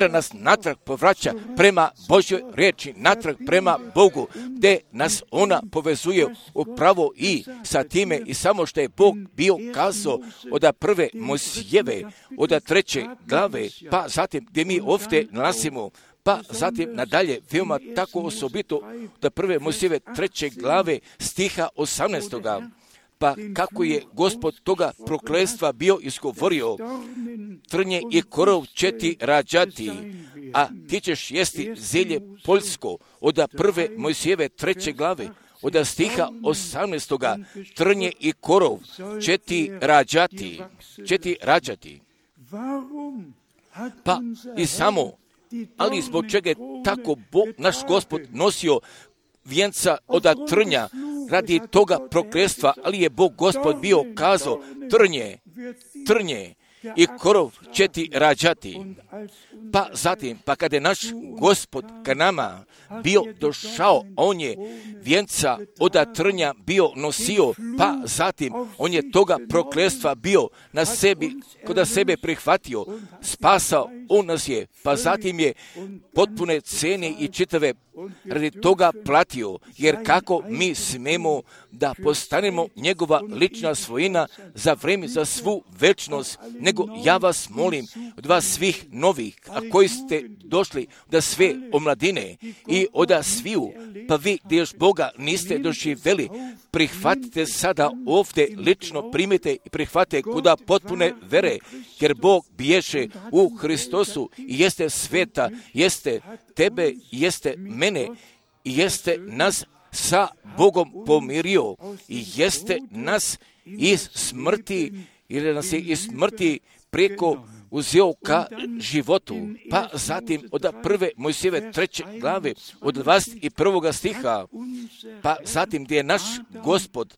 nas natrag povraća prema Božjoj riječi, natrag prema Bogu, gdje nas ona povezuje upravo i sa time i samo što je Bog bio kazao od prve Mojsijeve, od treće glave, pa zatim gdje mi ovdje nalazimo, pa zatim nadalje, veoma tako osobito od prve Mojsijeve treće glave stiha 18. Pa kako je Gospod toga prokletstva bio izgovorio, trnje i korov će ti rađati, a ti ćeš jesti zelje poljsko, od prve Mojsijeve treće glave, od stiha 18. trnje i korov će ti rađati. Pa i samo, ali zbog čega je tako naš Gospod nosio vijenca od trnja radi toga prokletstva, ali je Bog Gospod bio kazao, trnje i korov će ti rađati. Pa zatim, pa kada je naš Gospod ka nama bio došao, on je vijenca od trnja bio nosio, pa zatim on je toga prokletstva bio na sebi, kod sebe prihvatio, spasao, on nas je, pa zatim je potpune cene i čitave radi toga platio, jer kako mi smemo da postanemo njegova lična svojina za vrijeme, za svu večnost, nego ja vas molim od vas svih novih, a koji ste došli da sve omladine i od sviju, pa vi gdje još Boga niste doživjeli, prihvatite sada ovdje lično, primite i prihvatite kuda potpune vere, jer Bog bježe u Hristosu i jeste sveta, jeste tebe, jeste mene i jeste nas sa Bogom pomirio i jeste nas iz smrti, jer nas je iz smrti preko uzeo ka životu. Pa zatim od prve Mojsijeve treće glave, od 21. stiha, pa zatim gdje je naš Gospod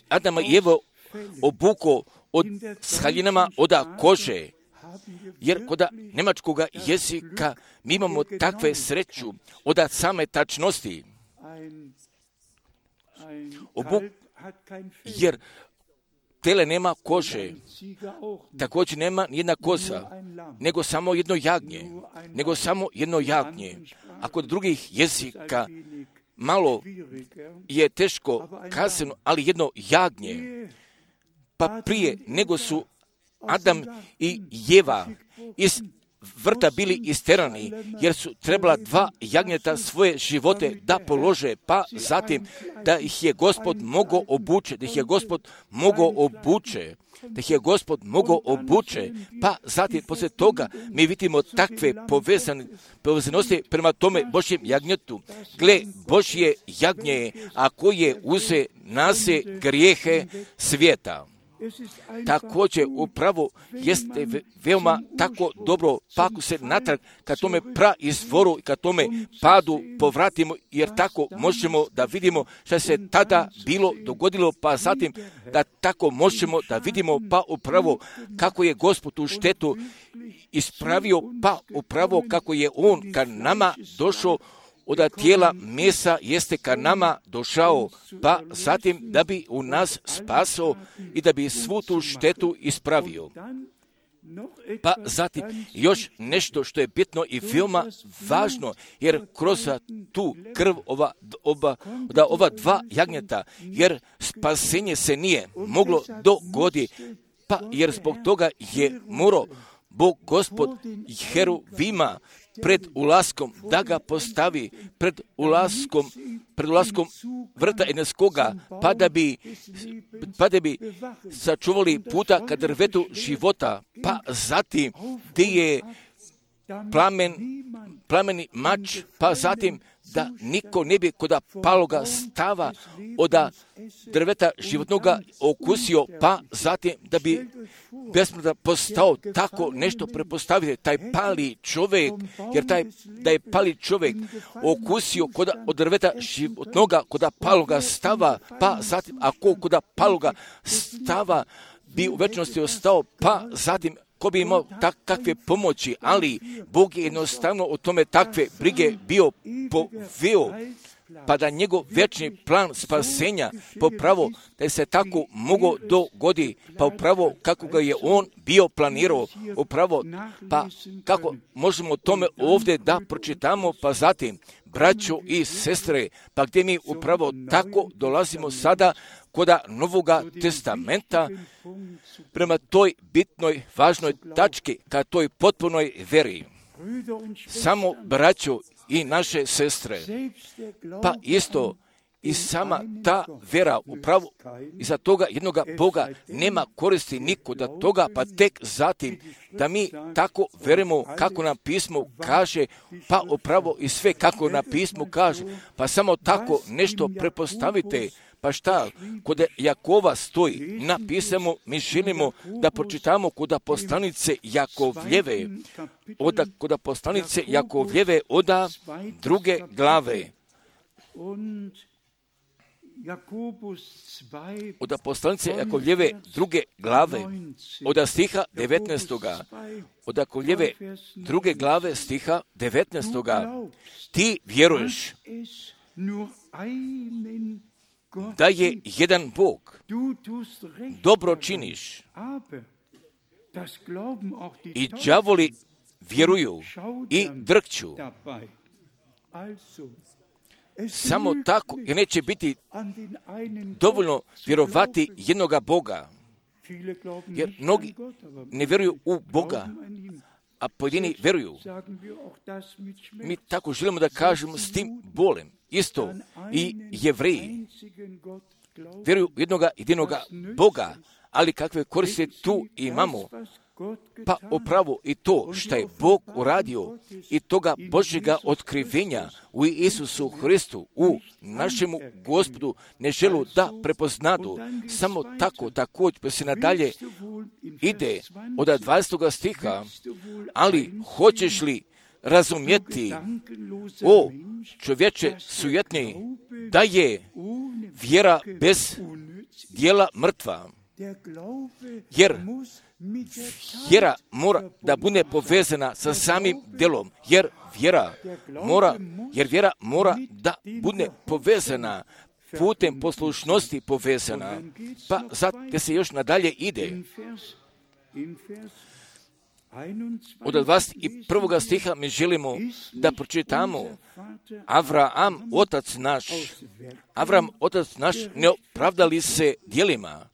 Adama i Evo obuko s haljinama od kože, jer kod njemačkog jezika mi imamo takve sreću od same tačnosti. Jer tele nema kože, također nema nijedna koza, nego samo jedno jagnje. A kod drugih jezika malo je teško kazano, ali jedno jagnje. Pa prije nego su Adam i Eva iz vrta bili isterani, jer su trebala 2 jagnjeta svoje živote da polože, pa zatim da ih je Gospod mogao obuče, pa zatim poslije toga mi vidimo takve povezanosti prema tome Božjem jagnjetu. Gle, Božje jagnje, a koje uze nase grijehe svijeta. Također upravo jeste veoma tako dobro, pa ako se natrag ka tome praizvoru i ka tome padu povratimo, jer tako možemo da vidimo što se tada bilo dogodilo, pa zatim da tako možemo da vidimo pa upravo kako je Gospod tu štetu ispravio, pa upravo kako je On ka nama došao od tijela mesa jeste ka nama došao, pa zatim da bi u nas spasao i da bi svu tu štetu ispravio. Pa zatim još nešto što je bitno i veoma važno, jer kroz tu krv ova dva jagnjeta, jer spasenje se nije moglo dogoditi, pa jer zbog toga je morao Bog Gospod Heruvima pred ulaskom da ga postavi pred ulaskom vrta Edenskoga, pa da bi sačuvali puta ka drvetu života, pa zatim gdje je plameni mač, pa zatim da niko ne bi kod paloga stava od drveta životnoga okusio, pa zatim da bi besmrtan postao. Tako nešto prepostavite, taj pali čovjek, jer da je pali čovjek okusio od drveta životnoga kod paloga stava, pa zatim ako kod paloga stava bi u večnosti ostao, pa zatim ko bi imao takve pomoći, ali Bog je jednostavno o tome takve brige bio poveo, pa da njegov večni plan spasenja popravo da se tako mogao dogodi, pa upravo kako ga je on bio planirao, upravo pa kako možemo o tome ovdje da pročitamo, pa zatim braćo i sestre, pa gdje mi upravo tako dolazimo sada koda Novoga testamenta prema toj bitnoj, važnoj tački, ka toj potpunoj veri. Samo braćo i naše sestre, pa isto i sama ta vera upravo iza toga jednoga Boga nema koristi niko da toga, pa tek zatim da mi tako verujemo kako nam pismo kaže, pa upravo i sve kako nam pismo kaže, pa samo tako nešto prepostavite. Pa šta, kod Jakova stoji napisamo, mi želimo da pročitamo kod poslanice Jakovljeve, kod poslanice Jakovljeve od 2. glave. Od poslanice Jakovljeve 2. glave, od stiha 19. Od Jakovljeve 2. glave stiha 19. Ti vjeruješ da je jedan Bog, dobro činiš i đavoli vjeruju i drkću. Samo tako, jer neće biti dovoljno vjerovati jednoga Boga, jer mnogi ne vjeruju u Boga, a pojedini vjeruju. Mi tako želimo da kažemo s tim bolem. Isto i Jevreji vjeruju jednoga Boga, ali kakve koriste tu imamo, pa upravo i to što je Bog uradio i toga Božjega otkrivenja u Isusu Hristu, u našemu Gospodu, ne želu da prepoznadu. Samo tako također pa se nadalje ide od 20. stiha, ali hoćeš li razumjeti, o čovječe sujetni, da je vjera bez djela mrtva, jer vjera mora da bude povezana sa samim djelom, jer vjera mora da bude povezana putem poslušnosti povezana, pa zato se još nadalje ide. Od 21. stiha mi želimo da pročitamo Avram, otac naš, ne opravdali se djelima,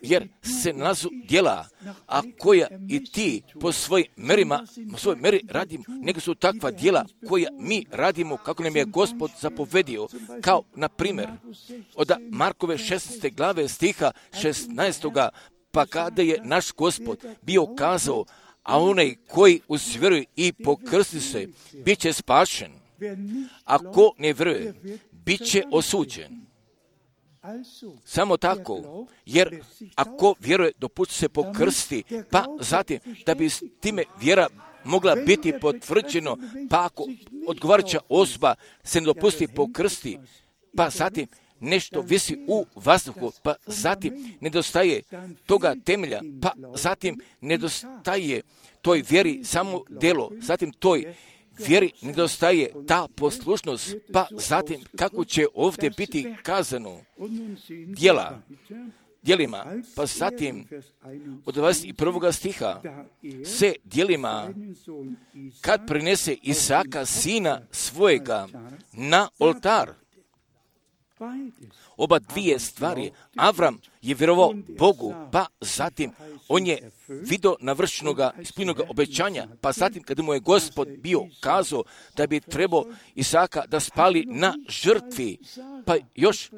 jer se nalazu djela, a koja i ti po svojoj meri radimo, nego su takva djela koja mi radimo kako nam je Gospod zapovedio, kao na primjer od Markove 16. glave stiha 16. Pa kada je naš Gospod bio kazao, a onaj koji usvjeruje i pokrsti se, bit će spašen. A ko ne vjeruje, bit će osuđen. Samo tako, jer ako vjeruje, dopusti se pokrsti, pa zatim da bi s time vjera mogla biti potvrđeno, pa ako odgovarajuća osoba se ne dopusti pokrsti, pa zatim nešto visi u vazduhu, pa zatim nedostaje toga temelja, pa zatim nedostaje toj vjeri samo djelo, zatim toj vjeri nedostaje ta poslušnost, pa zatim kako će ovdje biti kazano djelima, pa zatim od 21. stiha se djelima kad prinese Isaka sina svojega na oltar. Oba dvije stvari. Avram je vjerovao Bogu, pa zatim on je vidio navršenoga ispunjenoga obećanja, pa zatim kada mu je Gospod bio kazao da bi trebao Isaka da spali na žrtvi, pa još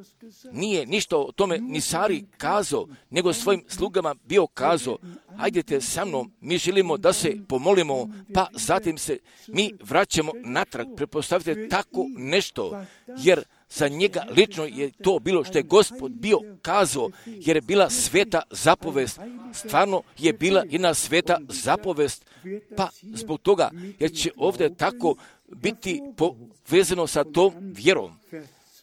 nije ništa o tome ni Sari kazao, nego svojim slugama bio kazao, hajdete sa mnom, mi želimo da se pomolimo, pa zatim se mi vraćamo natrag. Pretpostavite tako nešto, jer za njega lično je to bilo što je Gospod bio kazao, jer je bila sveta zapovest. Stvarno je bila jedna sveta zapovest, pa zbog toga, jer će ovdje tako biti povezano sa tom vjerom.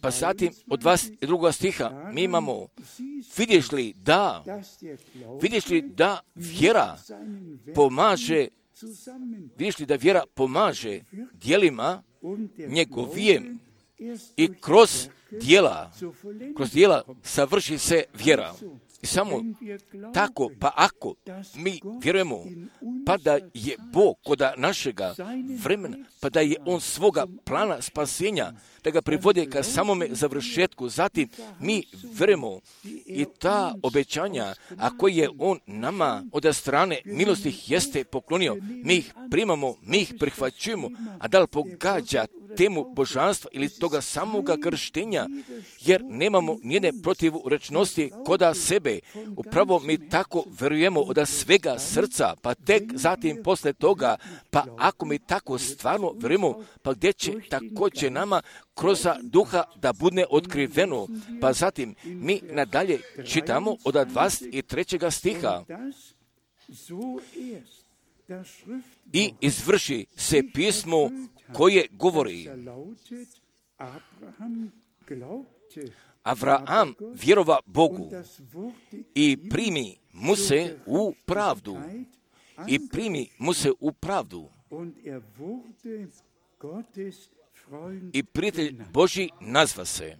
Pa zatim od 22. stiha mi imamo, vidiš li da vjera pomaže djelima njegovijem i kroz djela savrši se vjera. I samo tako, pa ako mi vjerujemo, pa da je Bog kod našega vremena, pa da je On svoga plana spasenja, da ga privode ka samome završetku, zatim mi vjerujemo i ta obećanja, a koje je On nama od strane milosti jeste poklonio, mi ih primamo, mi ih prihvaćujemo, a da li pogađa temu božanstva ili toga samoga krštenja, jer nemamo nijedne protivurečnosti koda sebe. Upravo mi tako vjerujemo od svega srca, pa tek zatim posle toga, pa ako mi tako stvarno vjerujemo, pa gdje će također nama kroz duha da bude otkriveno. Pa zatim mi nadalje čitamo od 23. stiha. I izvrši se pismo koje govori: Avraham vjerova Bogu i primi mu se u pravdu. I prijatelj Božji nazva se.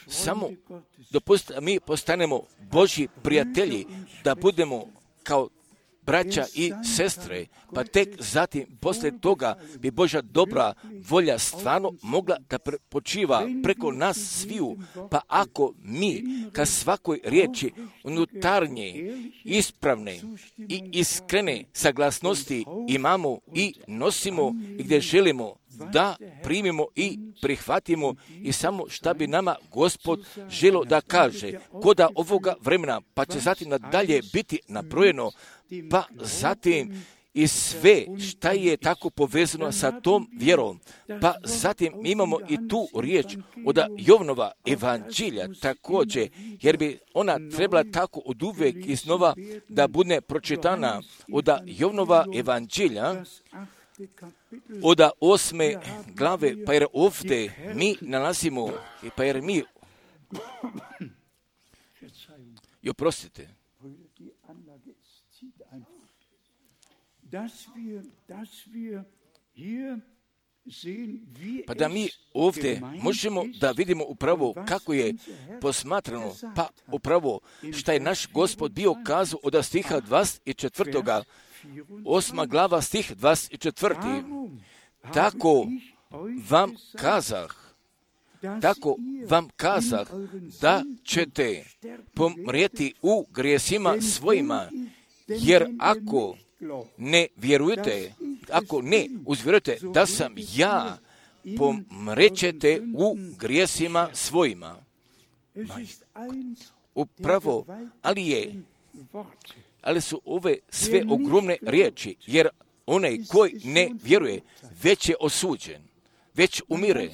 Samo dopustite, mi postanemo Božji prijatelji, da budemo kao braća i sestre, pa tek zatim, poslije toga, bi Božja dobra volja stvarno mogla da počiva preko nas sviju, pa ako mi ka svakoj riječi unutarnje, ispravne i iskrene saglasnosti imamo i nosimo i gdje želimo da primimo i prihvatimo i samo šta bi nama Gospod želio da kaže koda ovoga vremena, pa će zatim nadalje biti nabrojeno, pa zatim i sve šta je tako povezano sa tom vjerom. Pa zatim imamo i tu riječ od Jovnova evanđelja također, jer bi ona trebala tako od uvijek iznova da bude pročitana od Jovnova evanđelja, od 8. glave, pa jer ovdje mi nalazimo, pa jer mi, i oprostite, pa da mi ovdje možemo da vidimo upravo kako je posmatrano, pa upravo šta je naš Gospod bio kazao od stiha 24. 8. glava stih 24. Tako vam kazah da ćete pomrijeti u grijesima svojima, jer ako ne uzvjerujete da sam ja, pomrećete u grijesima svojima. Upravo, ali su ove sve ogromne riječi, jer onaj koji ne vjeruje već je osuđen. već umire.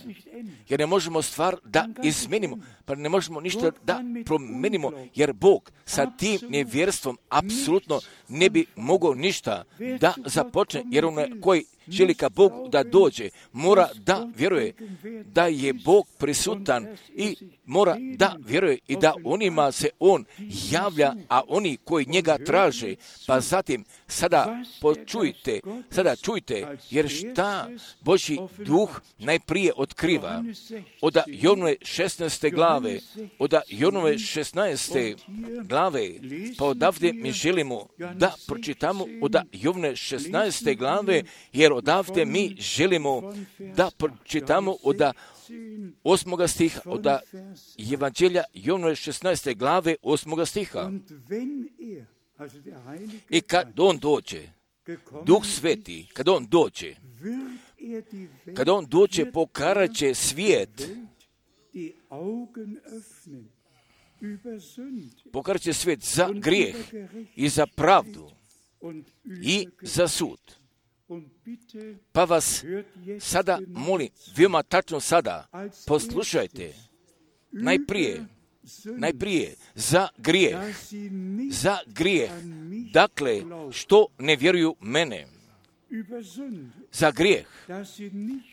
Jer ne možemo stvar da izmenimo, pa ne možemo ništa da promenimo, jer Bog sa tim nevjerstvom apsolutno ne bi mogao ništa da započne, jer onaj koji želi ka Bogu da dođe, mora da vjeruje da je Bog prisutan i mora da vjeruje i da onima se On javlja, a oni koji njega traže. Pa zatim, sada čujte, jer šta Božji duh najprije otkriva od Jovnove 16. glave, pa odavde mi želimo da pročitamo od Jovne 16. glave, jer odavde mi želimo da pročitamo od 8. stiha, od Evanđelja Jovnove 16. glave 8. stiha. I kad on dođe, Duh Sveti, kad on dođe, pokarat će svijet, pokarat će svijet za grijeh i za pravdu i za sud. Pa vas sada molim, veoma tačno sada, poslušajte, najprije za grijeh, dakle, što ne vjeruju mene, za grijeh,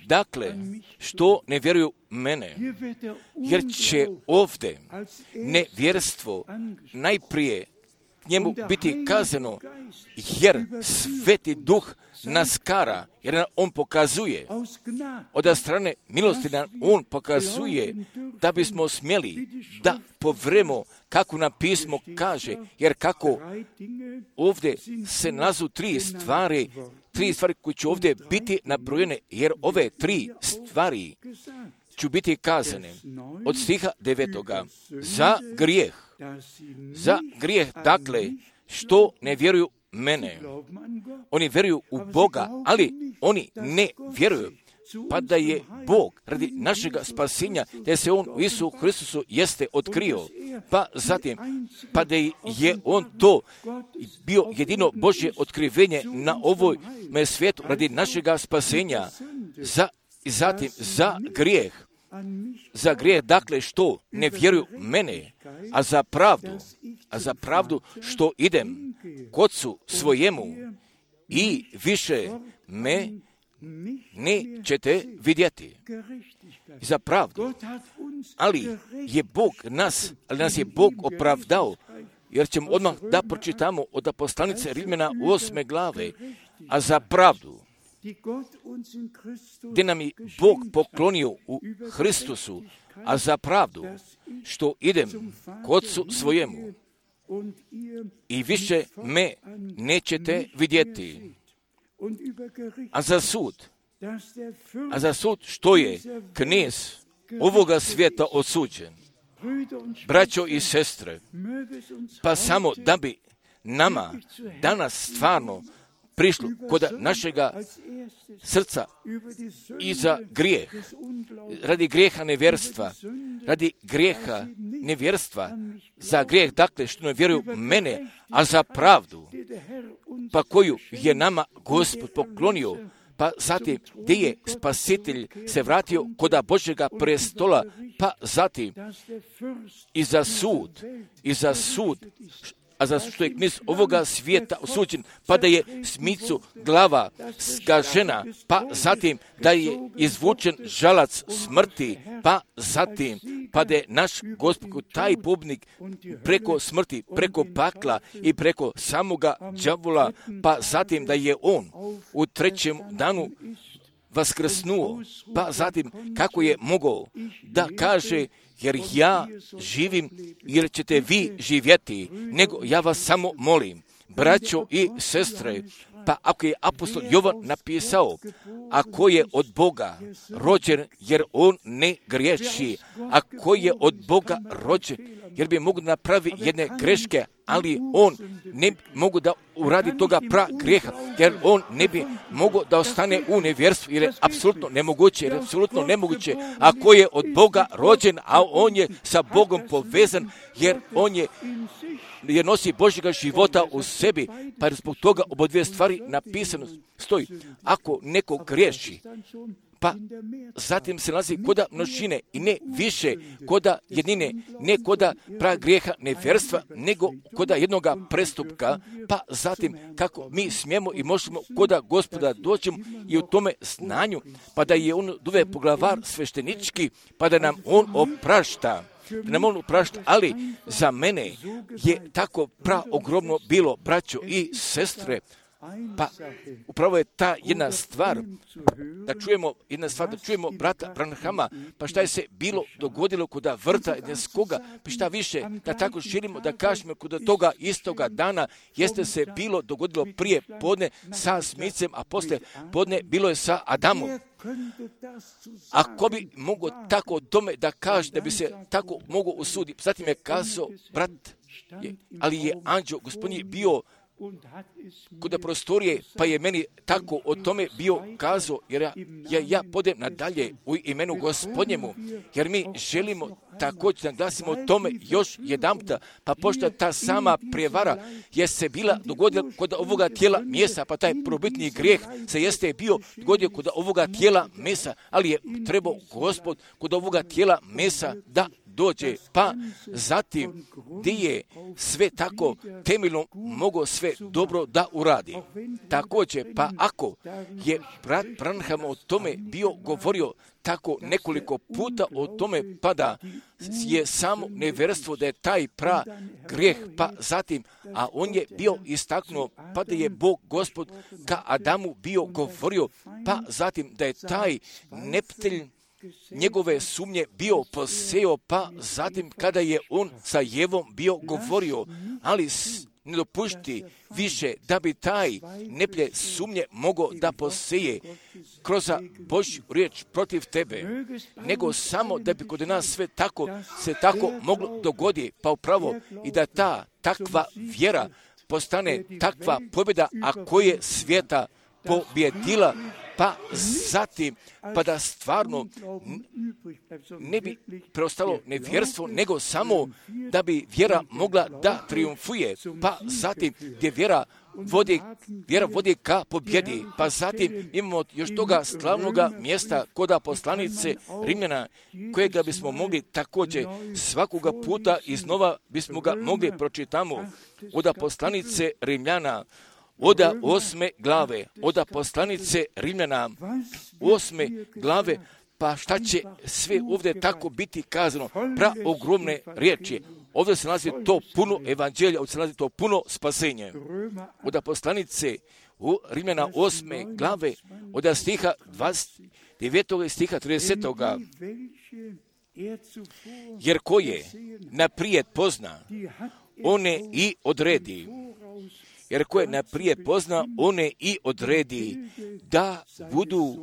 dakle, što ne vjeruju mene, jer će ovdje nevjerstvo najprije njemu biti kazano, jer Sveti Duh nas kara, jer on pokazuje, od strane milosti nam on pokazuje da bismo smjeli da povremo kako nam pismo kaže, jer kako ovdje se nalazu tri stvari koje će ovdje biti nabrojene, jer ove tri stvari ću biti kazane od stiha 9. Za grijeh, dakle, što ne vjeruju mene. Oni vjeruju u Boga, ali oni ne vjeruju pa da je Bog radi našega spasenja, da se On u Isu Hristusu jeste otkrio, pa zatim, pa da je On to bio jedino Božje otkrivenje na ovoj svijetu radi našega spasenja, zatim za grijeh, dakle, što ne vjeruju mene, a za pravdu što idem k Otcu svojemu i više me nećete vidjeti. Za pravdu. Ali nas je Bog opravdao, jer ćemo odmah da pročitamo od poslanice Rimljana 8. glave, a za pravdu, gdje nam je Bog poklonio u Hristusu, a za pravdu, što idem k Otcu svojemu i više me nećete vidjeti. A za sud, što je knez ovoga svijeta osuđen. Braćo i sestre, pa samo da bi nama danas stvarno prišlo kod našega srca i za grijeh, radi grijeha nevjerstva, za grijeh, dakle, što ne vjeruju mene, a za pravdu, pa koju je nama Gospod poklonio, pa zatim gdje je Spasitelj se vratio kod Božjega prestola, pa zatim i za sud, a za što je knez ovoga svijeta osuđen, pa da je smicu glava skažena, pa zatim da je izvučen žalac smrti, pa zatim pa da je naš Gospod taj pobjednik preko smrti, preko pakla i preko samoga đavola, pa zatim da je on u trećem danu vaskrsnuo, pa zatim kako je mogao da kaže, jer ja živim, jer ćete vi živjeti, nego ja vas samo molim, braćo i sestre, pa ako je apostol Jovan napisao, ako je od Boga rođen, jer on ne griješi, ako je od Boga rođen, jer bi mogu napravi jedne greške, ali on ne mogu da uradi toga grijeha, jer on ne bi mogao da ostane u nevjerstvu, jer je apsolutno nemoguće, ako je od Boga rođen, a on je sa Bogom povezan, jer nosi Božjega života u sebi, pa zbog toga oba dvije stvari napisano stoji. Ako neko griješi, pa zatim se nalazi koda množine i ne više koda jednine, ne koda grijeha nevjerstva, nego koda jednoga prestupka, pa zatim kako mi smijemo i možemo koda Gospoda doćemo i u tome znanju, pa da je on duve poglavar sveštenički, pa da nam on oprašta. Ali za mene je tako ogromno bilo, braćo i sestre, pa upravo je ta jedna stvar, da čujemo brata Branhama, pa šta je se bilo dogodilo koda vrta Edenskoga, pa šta više, da tako želimo da kažemo koda toga istoga dana, jeste se bilo dogodilo prije podne sa Smicem, a poslije podne bilo je sa Adamom. Ako bi mogo tako o tome da kaže, da bi se tako mogo usuditi, zatim je kazao brat, ali je anđeo gospodnji bio kod prostorije, pa je meni tako o tome bio kazao, jer ja podem nadalje u imenu Gospodnjemu, jer mi želimo također naglasimo o tome još jedanputa, pa pošto ta sama prijevara je se bila dogodila kod ovoga tijela mjesa, pa taj probitni grijeh se jeste bio dogodio kod ovoga tijela mesa, ali je trebao Gospod kod ovoga tijela mesa da dođe, pa zatim gdje je sve tako temeljno mogo sve dobro da uradi. Također, pa ako je brat Branham o tome bio govorio tako nekoliko puta o tome, pa da je samo nevjerstvo da je taj grijeh, pa zatim, a on je bio istaknuo, pa da je Bog Gospod ka Adamu bio govorio, pa zatim da je taj neptelj njegove sumnje bio poseo, pa zatim kada je on sa Jevom bio govorio, ali ne dopušti više da bi taj neplje sumnje mogao da poseje kroz Božju riječ protiv tebe, nego samo da bi kod nas sve tako se tako moglo dogoditi, pa upravo i da ta takva vjera postane takva pobjeda, a koje svijeta pobjedila, pa zatim, pa da stvarno ne bi preostalo nevjerstvo, nego samo da bi vjera mogla da triumfuje, pa zatim gdje vjera vodi ka pobjedi, pa zatim imamo još toga slavnoga mjesta koda poslanice Rimljana, kojega bismo mogli također svakoga puta iznova bismo ga mogli pročitamo od poslanice Rimljana, od 8. glave, od poslanice Rimljana, 8. glave, pa šta će sve ovdje tako biti kazano, ogromne riječi. Ovdje se nalazi to puno evanđelja, ovdje se nalazi to puno spasenje. Od poslanice Rimljana 8. glave, od stiha 29. stiha 30. Jer ko je naprijed pozna, one i odredi. Jer ko je naprijed pozna, one i odredi da budu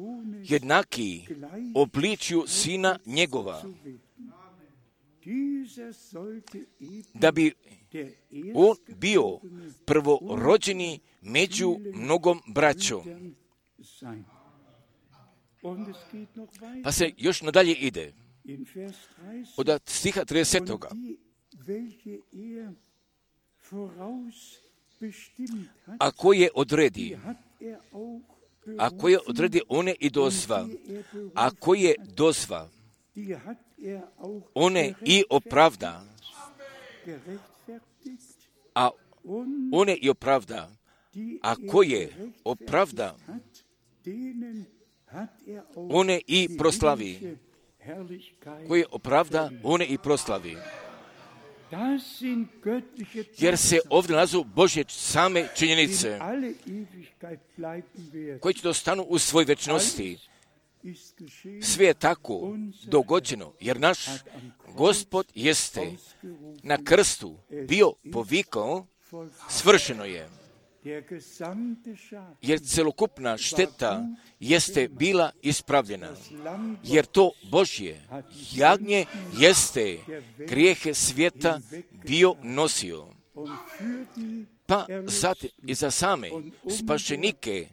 jednaki obličju sina njegova. Da bi on bio prvorođeni među mnogom braćom. Pa se još nadalje ide. Od stiha 30. Ako je odredi, one i dozva, ako je dozva, one i opravda, a one i opravda, ako je opravda, one i proslavi, koje opravda, one i proslavi. Jer se ovdje nalazu Božje same činjenice koje će dostanu u svoj večnosti. Sve je tako dogođeno, jer naš Gospod jeste na krstu bio povikao, svršeno je. Jer celokupna šteta jeste bila ispravljena. Jer to Božje jagnje jeste grijehe svijeta bio nosio. Pa zatim i za same spašenike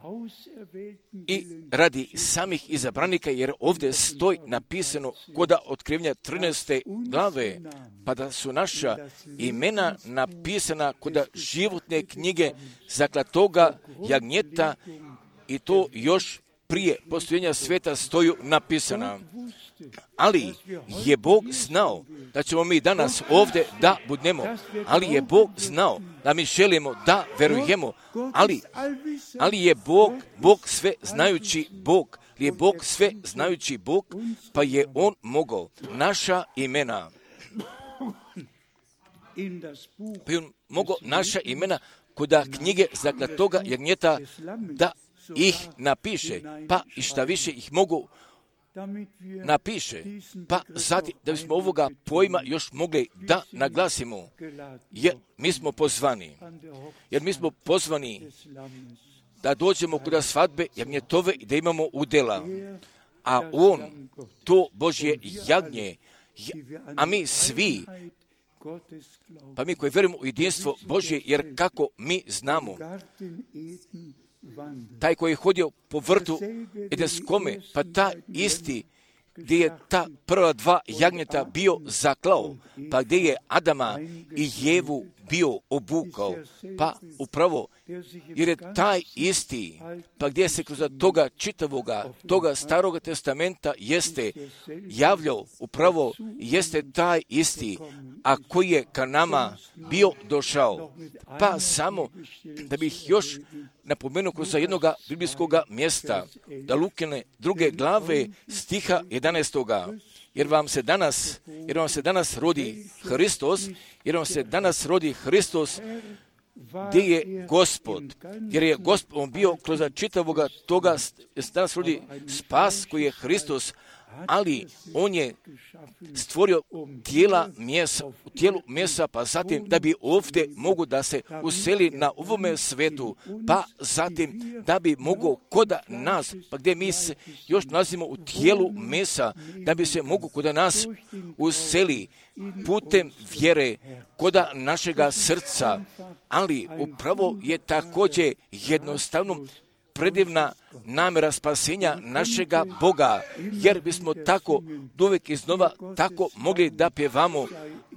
i radi samih izabranika, jer ovdje stoji napisano koda Otkrivenja 13. glave, pa da su naša imena napisana koda životne knjige zaklatoga jagnjeta, i to još prije postojenja svijeta stoju napisana. Ali je Bog znao da ćemo mi danas ovdje da budemo, ali je Bog znao da mi želimo da verujemo, ali je Bog sve znajući Bog, je Bog sve znajući Bog, pa je On mogao naša imena, kod knjige zaklatoga jagnjeta da ih napiše, pa i šta više ih mogu napiše, pa zatim da bismo ovoga pojma još mogli da naglasimo, jer mi smo pozvani da dođemo kod svadbe jagnjetove i da imamo udjela, a On, to Božje jagnje, a mi svi, pa mi koji vjerujemo u jedinstvo Božje, jer kako mi znamo, taj koji je hodio po vrtu Edenskome, pa ta isti gdje je ta prva dva jagnjeta bio zaklao, pa gdje je Adama i Jevu bio obukao, pa upravo, jer je taj isti, pa gdje se kroz toga čitavoga, toga staroga testamenta jeste javljao, upravo jeste taj isti, a koji je ka nama bio došao. Pa samo da bih još napomenuo kroz jednoga biblijskog mjesta, da Lukine 2. glave stiha 11. Jer vam se danas rodi Hristos, gdje je Gospod, jer je Gospod bio kroz čitavoga toga, danas rodi spas koji je Hristos, ali On je stvorio tijelu mjesa, pa zatim da bi ovdje mogu da se useli na ovome svetu, pa zatim da bi mogu koda nas, pa gdje mi se još nalazimo u tijelu mjesa, da bi se mogu koda nas useli putem vjere koda našega srca, ali upravo je također jednostavno predivna namjera spasenja našega Boga, jer bismo tako uvijek iznova tako mogli da pjevamo,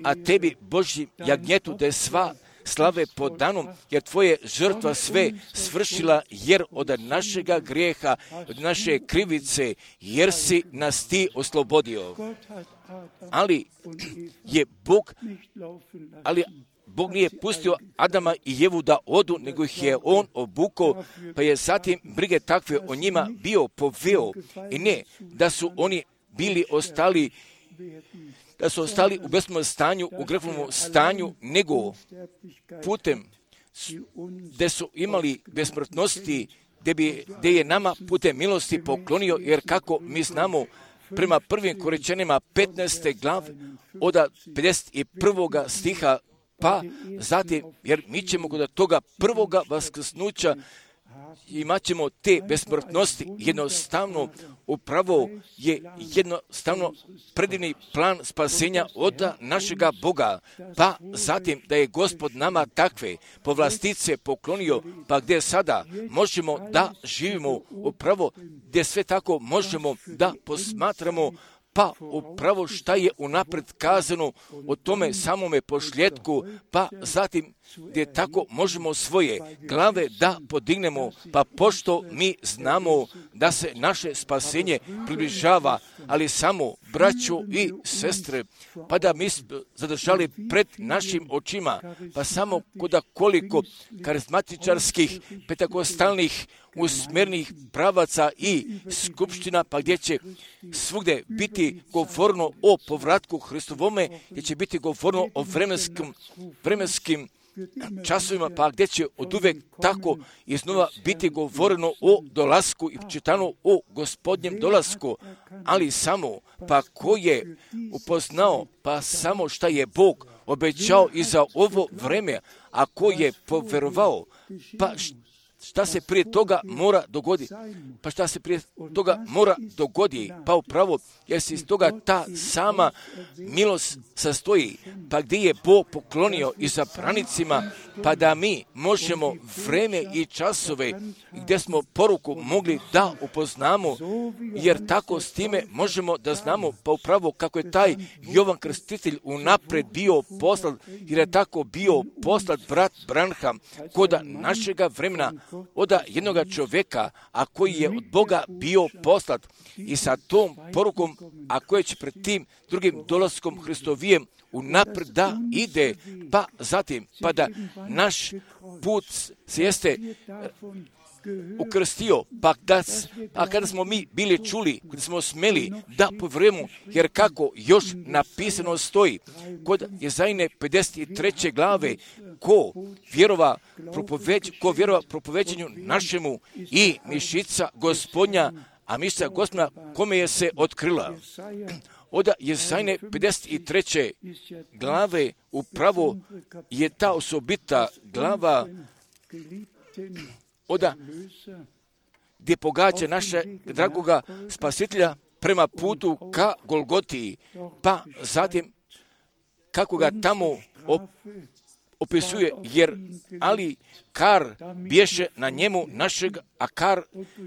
a tebi Božji jagnjetu da je sva slave pod danom, jer tvoje žrtva sve svršila, jer od našega grijeha, od naše krivice, jer si nas ti oslobodio. Ali Bog nije pustio Adama i Jevu da odu, nego ih je On obukao, pa je zatim brige takve o njima bio poveo. I ne da su oni bili ostali u besmrtnom stanju, u grehovnom stanju, nego putem gdje su imali besmrtnosti, gdje je nama putem milosti poklonio, jer kako mi znamo, prema prvim Korinčanima 15. glave od 51. stiha, pa zatim, jer mi ćemo kod toga prvoga vaskrsnuća imat ćemo te besmrtnosti, jednostavno upravo je jednostavno predivni plan spasenja od našega Boga, pa zatim da je Gospod nama takve povlastice poklonio, pa gdje sada možemo da živimo upravo, gdje sve tako možemo da posmatramo, pa upravo šta je unapred kazano o tome samome pošljetku, pa zatim gdje tako možemo svoje glave da podignemo, pa pošto mi znamo da se naše spasenje približava, ali samo braćo i sestre, pa da mi zadržali pred našim očima, pa samo koliko karizmatičarskih, pentakostalnih, usmjernih pravaca i skupština, pa gdje će svugdje biti govorno o povratku Hristovome, gdje će biti govorno o vremenskim časovima, pa gdje će od uvijek tako iznova biti govoreno o dolasku i čitano o Gospodnjem dolasku, ali samo, pa ko je upoznao, pa samo šta je Bog obećao i za ovo vreme, a ko je poverovao, pa šta se prije toga mora dogoditi? Pa upravo, jer se iz toga ta sama milost sastoji, pa gdje je Bog poklonio izabranicima, pa da mi možemo vreme i časove gdje smo poruku mogli da upoznamo, jer tako s time možemo da znamo, pa upravo kako je taj Jovan Krstitelj unapred bio poslat, jer je tako bio poslat brat Branham kod našega vremena, od jednoga čovjeka, a koji je od Boga bio poslat i sa tom porukom, a koji će pred tim drugim dolaskom Hristovijem unaprijed da ide, pa zatim, pa da naš put se jeste ukrstio, pa kada smo mi bili čuli, kada smo smeli da povjerujemo, jer kako još napisano stoji kod Jezajine 53. glave, ko vjerova propoveđenju našemu i mišica Gospodnja, a mišica Gospodnja kome je se otkrila. Od Jezajine 53. glave upravo je ta osobita glava gdje pogađa naša dragoga spasitelja prema putu ka Golgotiji, pa zatim kako ga tamo opisuje, jer ali kar bješe na njemu našeg, a kar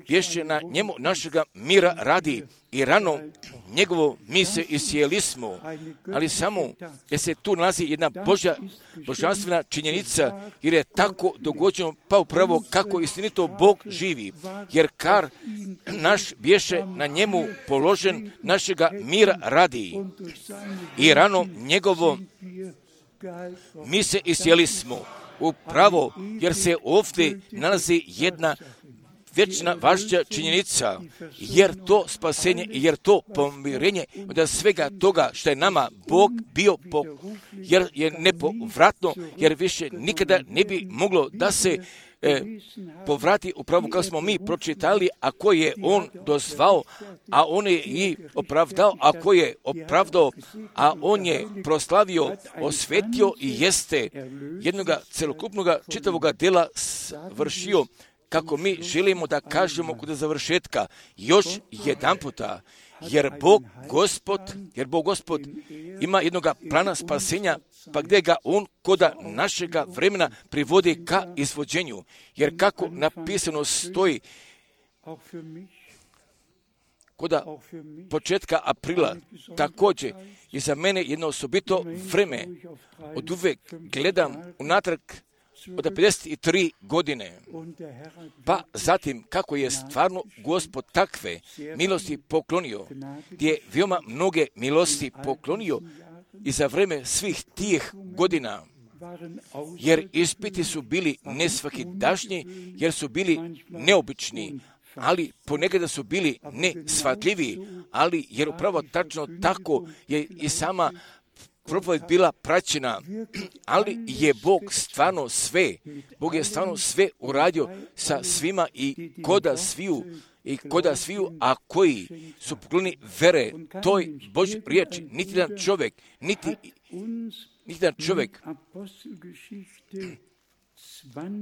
bješe na njemu našega mira radi i rano njegovo mi se isjeli smo, ali samo jer se tu nalazi jedna božanstvena činjenica, jer je tako dogođeno, pa upravo kako istinito Bog živi, jer kar naš bješe na njemu položen našega mira radi i rano njegovo mi se isjeli smo. Upravo, jer se ovdje nalazi jedna vječna važna činjenica, jer to spasenje i jer to pomirenje od svega toga što je nama Bog bio, jer je nepovratno, jer više nikada ne bi moglo da se povrati upravo kao smo mi pročitali, ako je on dozvao, a on je i opravdao, ako je opravdao, a on je proslavio, osvetio i jeste jednoga celokupnoga čitavoga dela vršio, kako mi želimo da kažemo kod završetka još jedan puta, jer Bog Gospod ima jednoga plana spasenja, pa gdje ga on koda našega vremena privodi ka izvođenju. Jer kako napisano stoji koda početka aprila, također je za mene jedno osobito vreme. Od uvek gledam unatrag od 53 godine, pa zatim kako je stvarno Gospod takve milosti poklonio, gdje je veoma mnoge milosti poklonio i za vreme svih tih godina, jer ispiti su bili nesvakidašnji, jer su bili neobični, ali ponekada su bili nesvatljivi, ali jer upravo tačno tako je i sama propoved bila praćena, ali je Bog je stvarno sve uradio sa svima i koda sviju, a koji su pokloni vere toj Božoj riječi, niti jedan čovjek,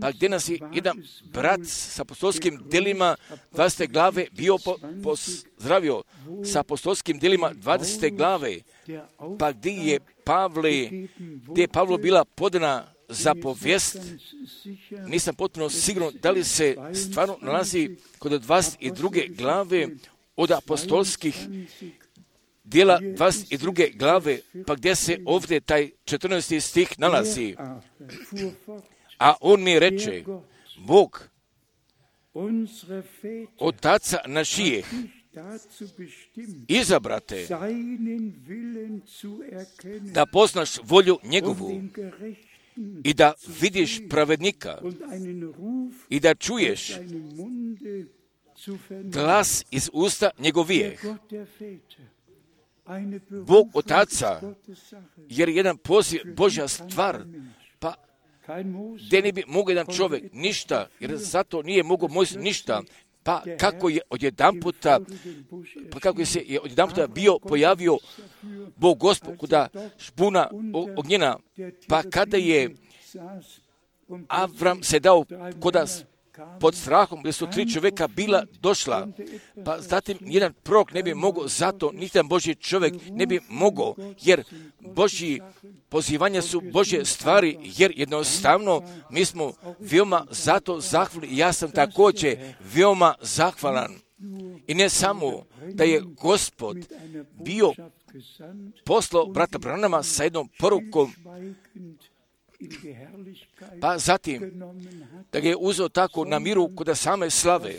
pa gdje nas je jedan brat sa apostolskim djelima 20. glave bio pozdravio sa apostolskim djelima 20. glave, pa gdje je Pavlo bila podana za povijest, nisam potpuno siguran da li se stvarno nalazi kod 22. glave od apostolskih djela 22. glave, pa gdje se ovdje taj 14. stih nalazi. A on mi reče, Bog, otaca našijeh, izabrate da poznaš volju njegovu i da vidiš pravednika i da čuješ glas iz usta njegovijeh. Bog otaca, jer jedan poziv Božja stvar, pa gdje ne bi mogao jedan čovjek ništa, jer zato nije mogao Mojsije ništa, pa kako se je odjedanputa bio pojavio Bog Gospod kuda špuna ognjena, pa kada je Avram se dao koda pod strahom, gdje su 3 čovjeka bila došla, pa zatim jedan prorok ne bi mogao, zato niti jedan Božji čovjek ne bi mogao, jer Božji pozivanja su Božje stvari, jer jednostavno mi smo veoma zato zahvalni, ja sam također veoma zahvalan. I ne samo da je Gospod bio poslao brata Branama sa jednom porukom, pa zatim da ga je uzeo tako na miru kod same slave,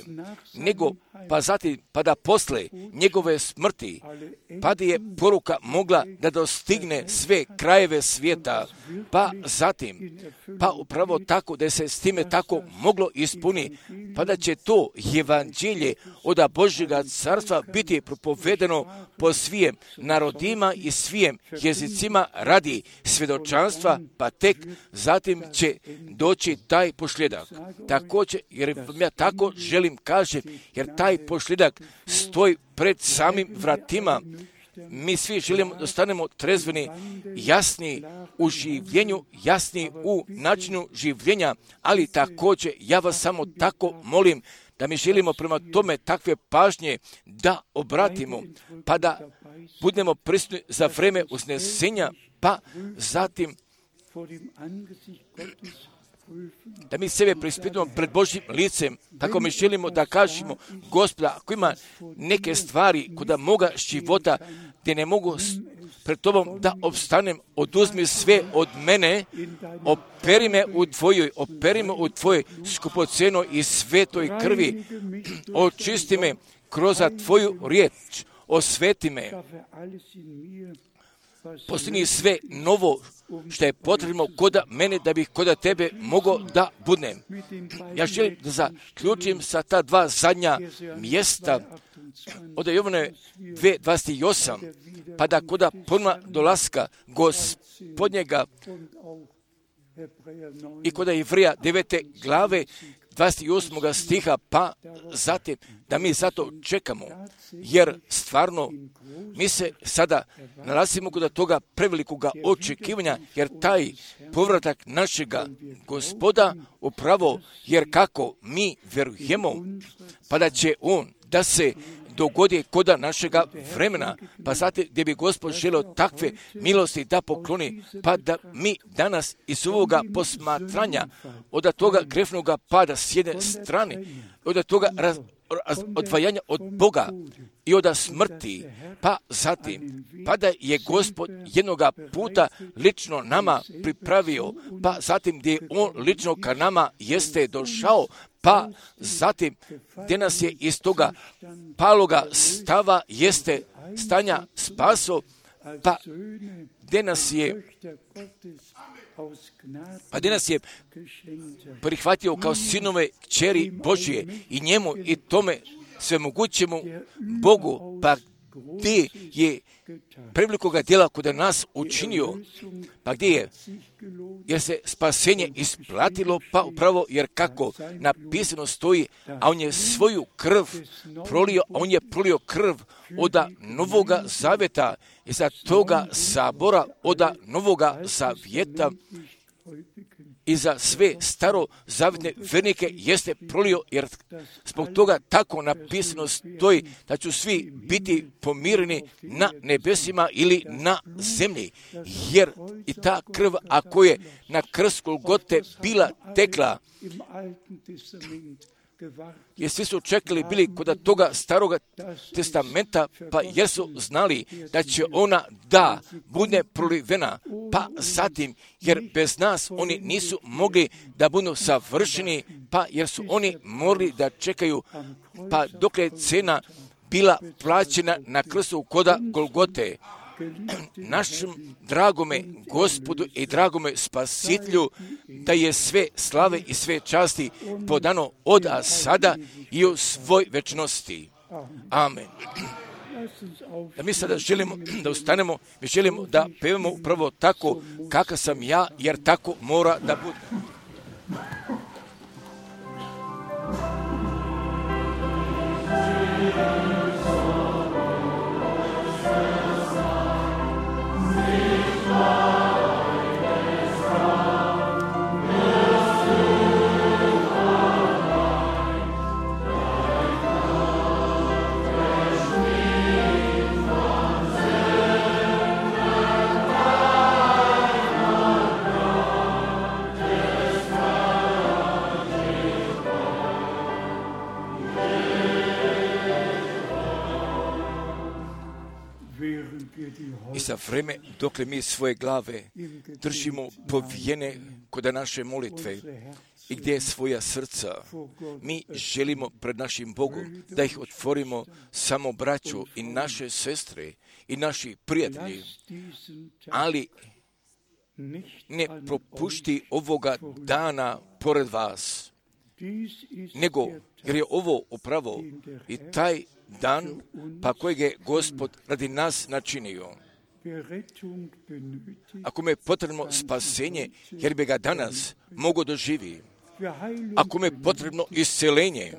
nego pa zatim pa da posle njegove smrti, pa da je poruka mogla da dostigne sve krajeve svijeta, pa zatim pa upravo tako da se s time tako moglo ispuni, pa da će to evanđelje od Božjega carstva biti propovedeno po svijem narodima i svijem jezicima radi svjedočanstva, pa tek zatim će doći taj posljedak. Također, jer ja tako želim kažem, jer taj posljedak stoji pred samim vratima. Mi svi želimo da stanemo trezveni, jasni u življenju, jasni u načinu življenja, ali također ja vas samo tako molim da mi želimo prema tome takve pažnje da obratimo, pa da budemo prisutni za vreme uznesenja, pa zatim da mi sebe preispitujemo pred Božjim licem, tako mi želimo da kažemo, Gospoda, ako ima neke stvari kod moga života gdje ne mogu pred Tobom da opstanem, oduzmi sve od mene, operi me u Tvojoj skupocenoj i svetoj krvi, očisti me kroz Tvoju riječ, osveti me, postini sve novo što je potrebno kod mene da bih kod Tebe mogao da budem. Ja želim da zaključim sa ta dva zadnja mjesta od Jovane 2:28, pa da kod ponovna dolaska Gospodnjega i kod Jevrija 9. glave 28. stiha, pa zatim da mi zato čekamo, jer stvarno mi se sada nalazimo kod toga prevelikoga očekivanja, jer taj povratak našega Gospoda upravo, jer kako mi vjerujemo, pa da će On da se dogodi kod našega vremena, pa zatim gdje bi Gospod želio takve milosti da pokloni, pa da mi danas iz ovoga posmatranja, od toga grešnoga pada s jedne strane, od toga odvajanja od Boga i od smrti, pa zatim, pa da je Gospod jednoga puta lično nama pripravio, pa zatim gdje On lično ka nama jeste došao, pa zatim gdje nas je iz toga paloga stava jeste stanja spaso, pa gdje nas je prihvatio kao sinove kćeri Božje i njemu i tome svemogućemu Bogu, pa gdje je prevelikoga djela kod nas učinio, pa gdje je, jer se spasenje isplatilo, pa upravo jer kako napisano stoji, a on je svoju krv prolio, a on je prolio krv od Novoga Zavjeta i za toga sabora od Novoga Zavjeta i za sve starozavjetne vernike jeste prolio, jer zbog toga tako napisano stoji da će svi biti pomireni na nebesima ili na zemlji, jer i ta krv, ako je na krst Golgote bila tekla, jer svi su čekali bili kod toga staroga testamenta, pa jer su znali da će ona da bude prolivena, pa zatim, jer bez nas oni nisu mogli da budu savršeni, pa jer su oni morali da čekaju, pa dok je cena bila plaćena na krstu kod Golgote. Našem dragome Gospodu i dragome Spasitelju, da je sve slave i sve časti podano od sada i u svoj večnosti. Amen. Da mi sada želimo da ustanemo, mi želimo da pevamo upravo tako kakav sam ja, jer tako mora da bude. I za vreme dokle mi svoje glave držimo povijene kod naše molitve i gdje svoja srca, mi želimo pred našim Bogom da ih otvorimo samo braću i naše sestre i naši prijatelji, ali ne propušti ovoga dana pored vas, nego jer je ovo upravo i taj dan pa kojeg je Gospod radi nas načinio. Ako me je potrebno spasenje, jer bi ga danas mogo doživi. Ako me je potrebno isceljenje,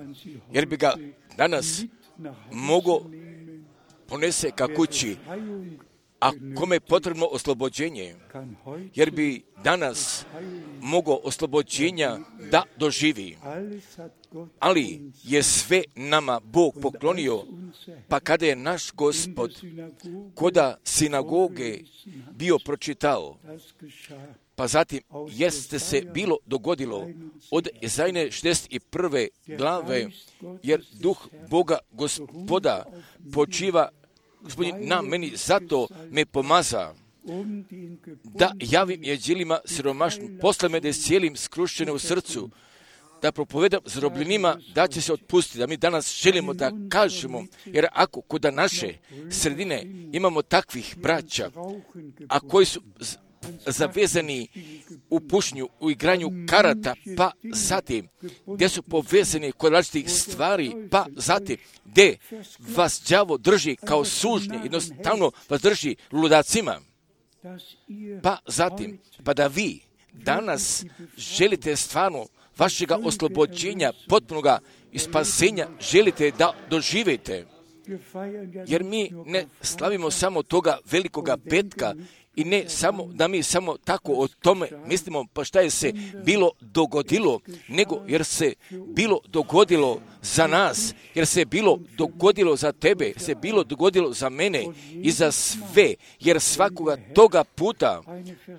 jer bi ga danas mogo ponese ka kući. Ako me je potrebno oslobođenje, jer bi danas mogo oslobođenja da doživi. Ali je sve nama Bog poklonio, pa kada je naš Gospod koda sinagoge bio pročitao, pa zatim jeste se bilo dogodilo od Ezajne 61. glave, jer duh Boga Gospoda počiva Gospodin na meni, zato me pomaza da javim jeđilima siromašnim, posle me da cijelim skrušćene u srcu, da propovedam zarobljenima da će se otpustiti, da mi danas želimo da kažemo, jer ako kod naše sredine imamo takvih braća, a koji su zavezani u pušnju, u igranju karata, pa zatim gdje su povezani kod različitih stvari, pa zatim gdje vas đavo drži kao sužnje, jednostavno vas drži ludacima, pa zatim, pa da vi danas želite stvarno vašega oslobođenja, potpunoga i spasenja želite da doživite, jer mi ne slavimo samo toga velikoga petka i ne samo da mi samo tako o tome mislimo pa šta je se bilo dogodilo, nego jer se bilo dogodilo za nas, jer se bilo dogodilo za tebe, se bilo dogodilo za mene i za sve, jer svakoga toga puta,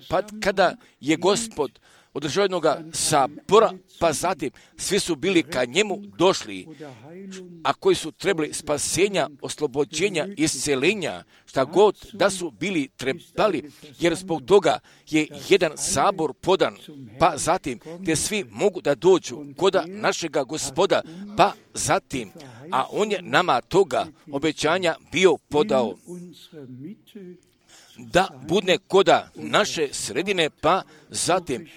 pa kada je Gospod održao jednoga sabora, pa zatim svi su bili ka njemu došli, a koji su trebali spasenja, oslobođenja, isceljenja, šta god da su bili trebali, jer zbog toga je jedan sabor podan, pa zatim gdje svi mogu da dođu koda našega Gospoda, pa zatim, a on je nama toga obećanja bio podao, da budne koda naše sredine, pa zatim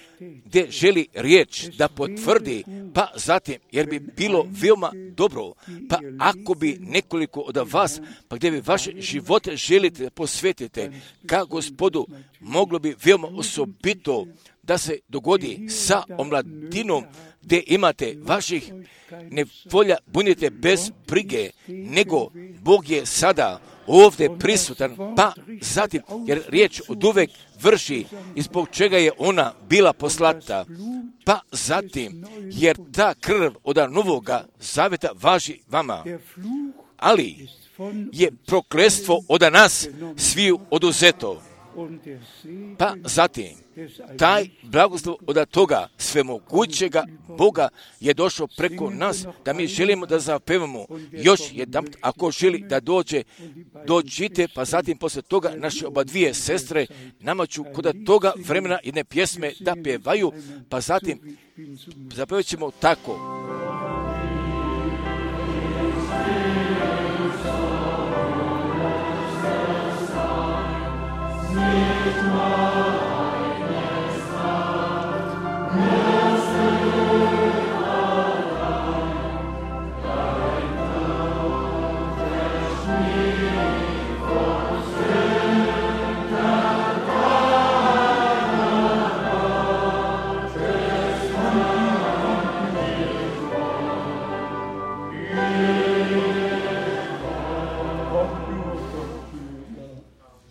gdje želi riječ da potvrdi, pa zatim, jer bi bilo veoma dobro, pa ako bi nekoliko od vas, pa gdje bi vaše živote želite posvetite ka Gospodu, moglo bi veoma osobito da se dogodi sa omladinom, gdje imate vaših nevolja, budite bez brige, nego Bog je sada ovdje prisutan, pa zatim, jer riječ od uvek vrši i zbog čega je ona bila poslata, pa zatim, jer ta krv od novoga zaveta važi vama, ali je prokletstvo od nas sviju oduzeto. Pa zatim, taj blagoslov od toga svemogućega Boga je došao preko nas, da mi želimo da zapevamo još jedan, ako želi da dođite, pa zatim posle toga naše oba dvije sestre nama ću kod toga vremena jedne pjesme da pjevaju, pa zatim zapevat ćemo tako.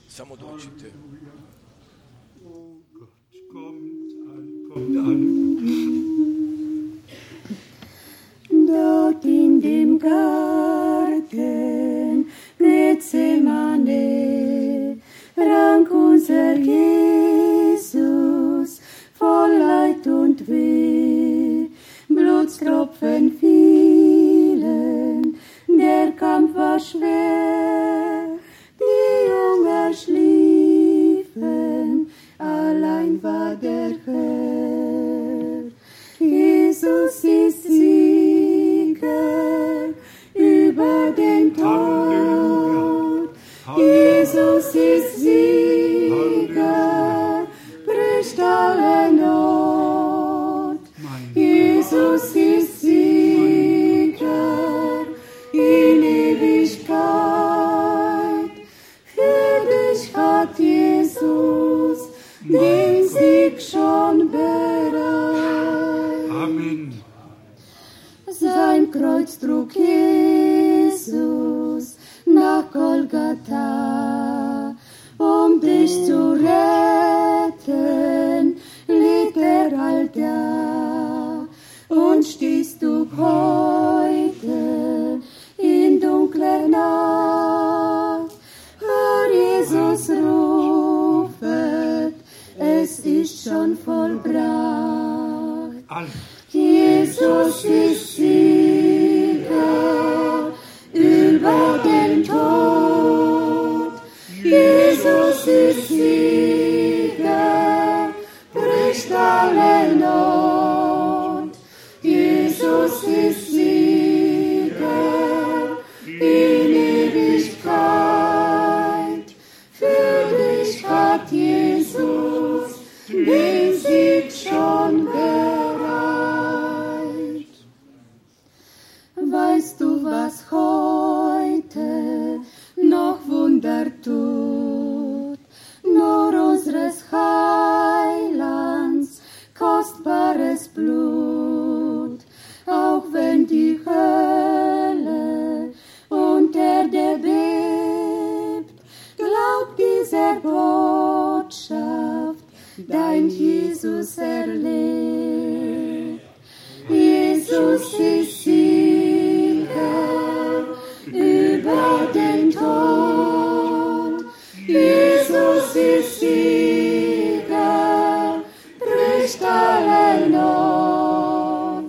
Samo dođite. Dort in dem Garten Gethsemane rang unser Jesus voll Leid und Weh. Blutstropfen fielen, der Kampf war schwer, die Jungen den Tod. Jesus ist Sieger, bricht alle Not. Jesus ist Sieger in Ewigkeit. Für dich hat Jesus den Sieg schon bereit. Amen. Sein Kreuz trug Jesus nach Golgatha, um dich zu retten, litt all da. Und stehst du heute in dunkler Nacht, hör Jesus rufet, es ist schon vollbracht. Jesus ist Sieger über den Tod. Jesus ist Sieger, bricht alle Not. Jesus ist Sieger in Ewigkeit. Für dich hat Jesus den Sieg schon bereit. Weißt du, was heute noch Wunder tut? Nur unseres Heilands kostbares Blut. Auch wenn die Hölle und Erde bebt, glaub dieser Botschaft, dein Jesus erlebt. Jesus ist Sieger über den Tod. Jesus ist Sieger, bricht alle Not.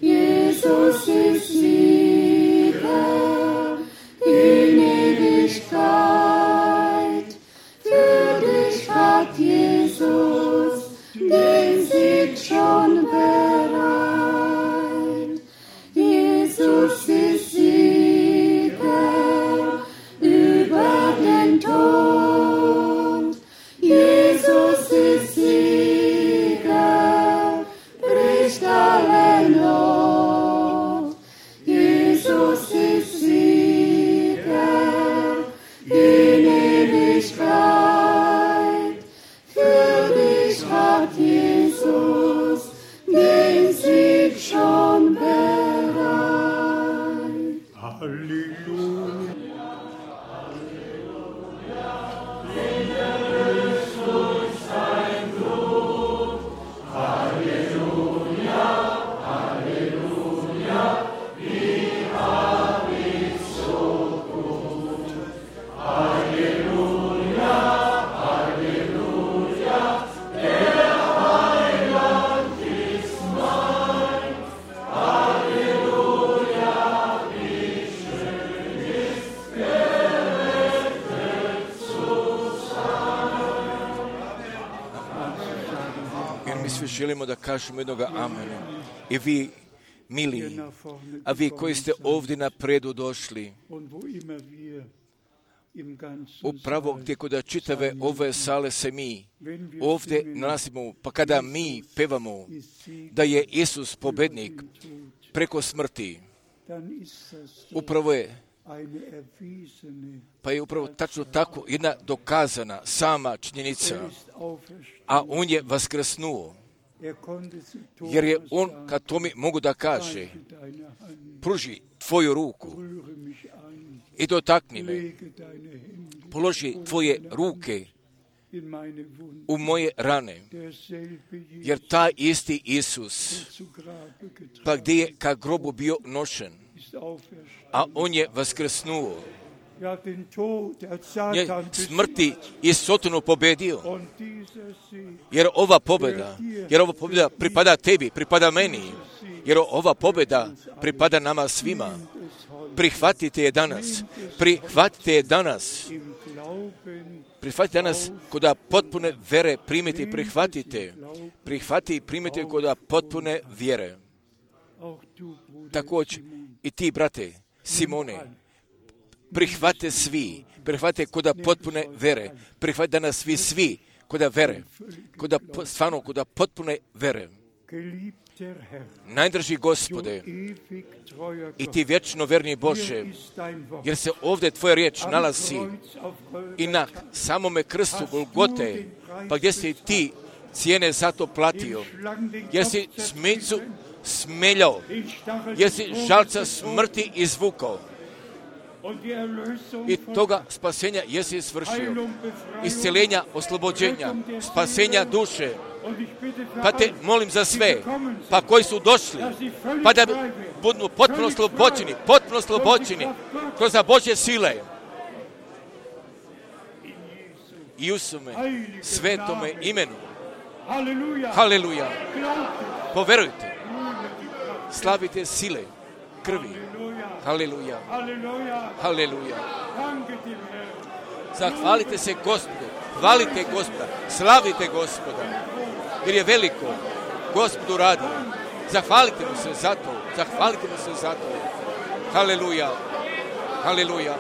Jesus ist Sieger in Ewigkeit. Für dich hat Jesus den Sieg schon bereit. Jesus ist Sieger über den Tod. Jesus ist Sieger, bricht alle Not. Jesus ist Sieger in Ewigkeit. Für dich hat Jesus den Sieg schon bereit. Halleluja. Želimo da kažemo jednoga amena. I vi, mili, a vi koji ste ovdje napredu došli, upravo gdje kod čitave ove sale se mi ovdje nalazimo, pa kada mi pevamo da je Isus pobednik preko smrti, upravo je, pa je upravo tačno tako jedna dokazana sama činjenica, a on je vaskrsnuo. Jer je on, kad to mi mogu da kaže, pruži tvoju ruku i dotakni me, položi tvoje ruke u moje rane, jer taj isti Isus, pa gdje je ka grobu bio nošen, a on je vaskrsnuo, je smrti i Sotonu pobedio, jer ova pobjeda pripada tebi, pripada meni, jer ova pobjeda pripada nama svima. Prihvatite je danas, prihvatite danas koda potpune vere primite i prihvatite i primite koda potpune vjere. Također i ti, brate Simone, prihvate svi, prihvate koda potpune vere, prihvate da nas svi koda vere, stvarno koda potpune vere. Najdraži Gospode, i ti vječno verni Bože, jer se ovdje tvoja riječ nalazi i na samome krstu Golgote, pa gdje si ti cijene za to platio, jer si smicu smeljao, jer si žalca smrti izvukao i toga spasenja jesi svršio, isceljenja, oslobođenja, spasenja duše. Pa te molim za sve, pa koji su došli, pa da budu potpuno slobođeni kroz Božje sile. I u svome svetome imenu. Haleluja. Poverujte. Slavite sile krvi. Haleluja. Haleluja. Zahvalite se Gospodu. Hvalite Gospoda. Slavite Gospoda. Jer je veliko. Gospodu radi. Zahvalite mu se za to. Zahvalite mu se za to. Haleluja. Haleluja.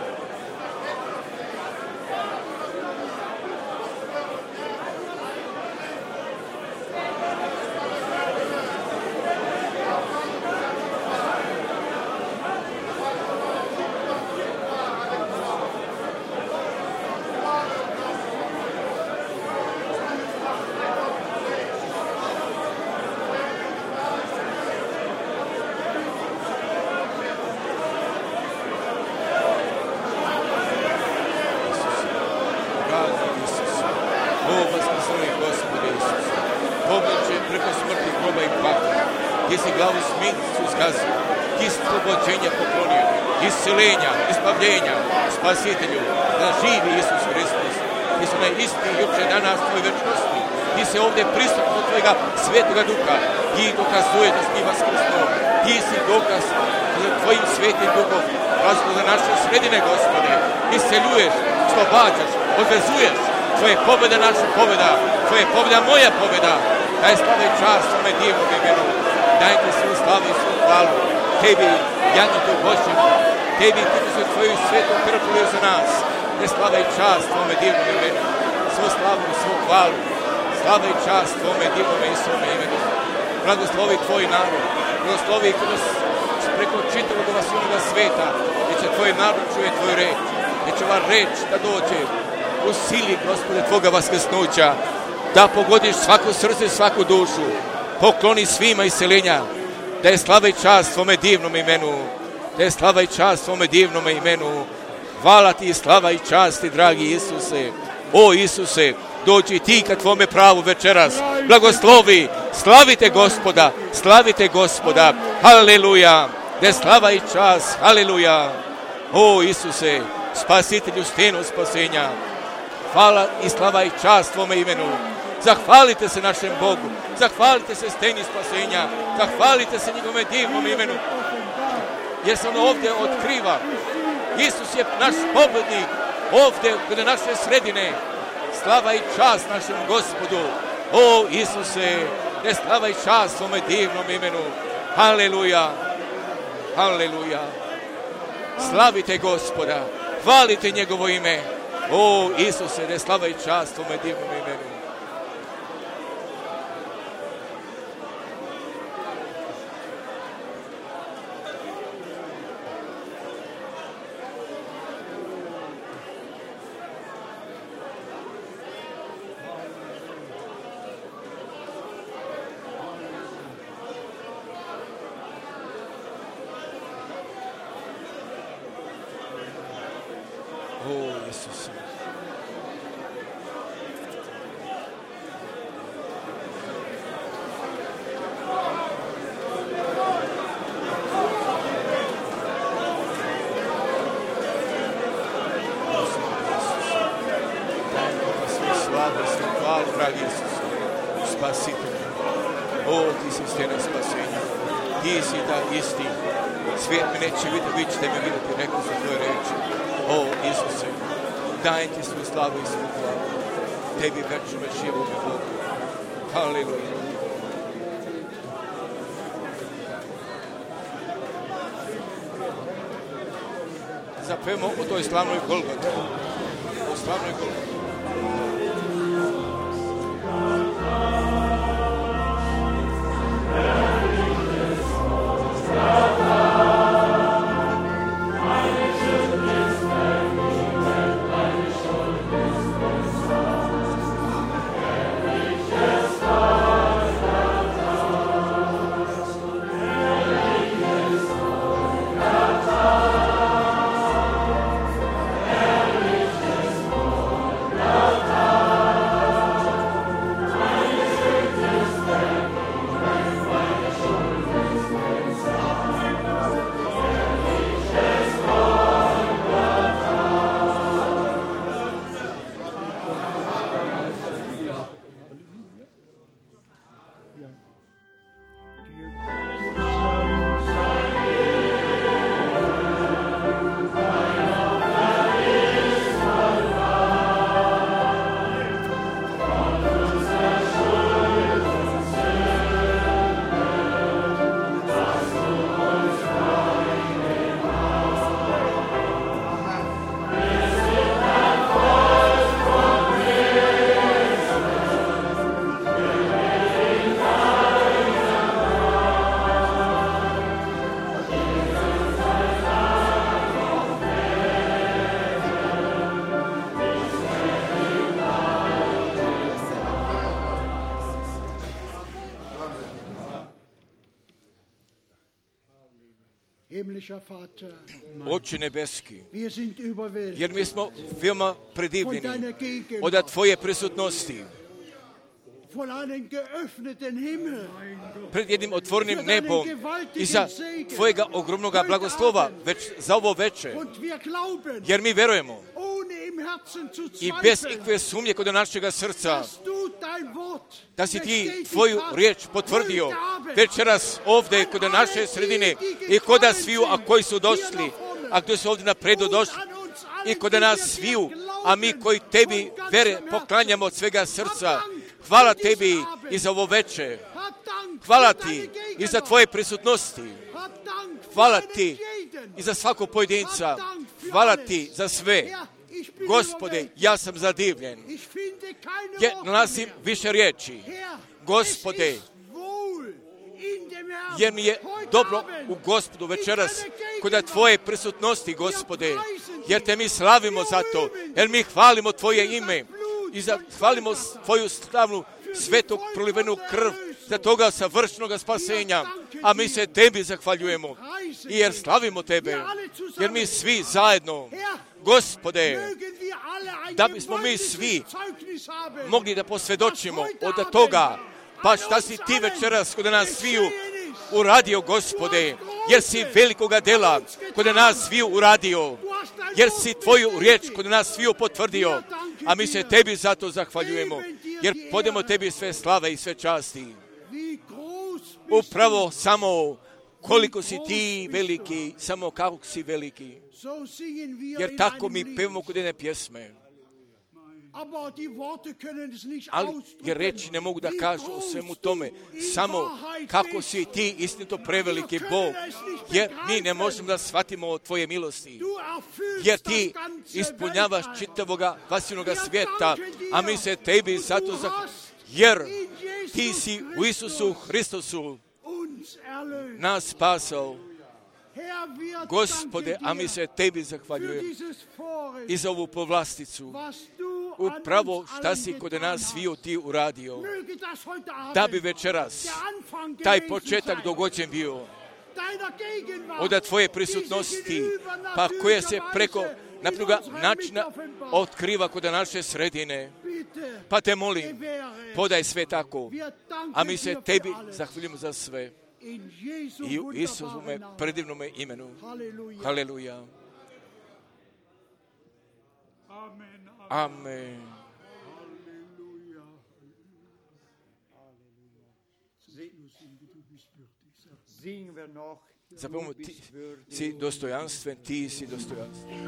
Isceljenja, ispavljenja, spasitelju, da živi Isus Hristos. Ti su isti juče danas tvoj večnosti. Ti se ovdje prisutno tvojega svetoga duha. Ti dokazuje da si ti vaskrsnuo. Ti si dokaz za tvojim svetim duhom. Razno za naše sredine, Gospode. Isceljuješ, slobađaš, odvezuješ. Tvoje pobjeda naša pobjeda. Tvoje pobjeda moja pobjeda. Daj slave i čast svome divnom imenu. Daj ti svu slavu i svu hvalu. Tebi, Janjetu Božjem, tebi ti se tvoju svetu krv prolio za nas. Ne slava i čast tvome divnom imenu. Svu slavu i svu hvalu. Slava i čast tvome divnom i svome imenu. Blagoslovi tvoj narod. Blagoslovi kroz preko čitavog ovasijonoga sveta. Gdje će tvoj narod čuje tvoju reč. Gdje će ova reč da dođe u sili, Gospode, tvoga vaskrsnuća. Da pogodiš svako srce, svaku dušu. Pokloni svima isceljenja. Da je slava i čast tvome divnom imenu. Da je slava i čast tvome divnom imenu. Hvala ti, slava i časti, dragi Isuse. O Isuse, dođi ti ka tvome pravu večeras. Blagoslovi, slavite Gospoda, slavite Gospoda. Haleluja. Da je slava i čast, haleluja. O Isuse, spasitelju stenu spasenja. Hvala i slava i čast tvome imenu. Zahvalite se našem Bogu. Zahvalite se steni spasenja. Zahvalite se njegovome divnom imenu. Jer se ono ovdje otkriva. Isus je naš pobjednik. Ovdje kod naše sredine. Slava i čast našem Gospodu. O Isuse, ne slava i čast svome divnom imenu. Haleluja. Haleluja. Slavite Gospoda. Hvalite njegovo ime. O Isuse, ne slava i čast svome divnom imenu. zapevamo o toj slavnoj Golgoti. O slavnoj Golgoti. Oče nebeski, jer mi smo veoma predivljeni od Tvoje prisutnosti. Pred jednim otvorenim nebom i za Tvojega ogromnog blagoslova za ovo veče, jer mi verujemo i bez ikve sumnje kod našega srca da si Ti Tvoju riječ potvrdio večeras ovdje kod naše sredine i kod sviju, a koji su došli, a koji su ovdje napredu došli i kod nas sviju, a mi koji Tebi vere poklanjamo od svega srca. Hvala Tebi i za ovo veče. Hvala Ti i za Tvoje prisutnosti. Hvala Ti i za svakog pojedinca. Hvala Ti za sve. Gospode, ja sam zadivljen. Nalazim više riječi. Gospode, jer mi je dobro u Gospodu večeras kod Tvoje prisutnosti, Gospode, jer Te mi slavimo za to, jer mi hvalimo Tvoje ime i hvalimo Tvoju slavnu svetog prolivenu krv za toga savršenog spasenja, a mi se Tebi zahvaljujemo i jer slavimo Tebe, jer mi svi zajedno, Gospode, da bismo mi svi mogli da posvjedočimo od toga, pa šta si Ti večeras kod nas sviju uradio, Gospode, jer si velikoga dela kod nas sviju uradio, jer si Tvoju riječ kod nas sviju potvrdio, a mi se Tebi zato zahvaljujemo, jer podemo Tebi sve slave i sve časti. Upravo samo koliko si Ti veliki, samo kako si veliki, jer tako mi pevamo kod jedne pjesme. Ali jer reći ne mogu da kažu o svemu tome, samo kako si Ti istinito preveliki Bog, jer mi ne možemo da shvatimo o Tvoje milosti, jer Ti ispunjavaš čitavoga vasivnoga svijeta, a mi se Tebi zato jer Ti si u Isusu Hristosu nas spasao. Gospode, a mi se Tebi zahvaljujemo i za ovu povlasticu. Upravo šta si kod nas sviju Ti uradio, da bi večeras taj početak dogođen bio od Tvoje prisutnosti, pa koja se preko napnoga načina otkriva kod naše sredine. Pa Te molim, podaj sve tako, a mi se Tebi zahvaljujemo za sve. I u Isusove predivnome imenu. Haleluja. Amen. Zapevamo, Ti si dostojanstven, Ti si dostojanstven.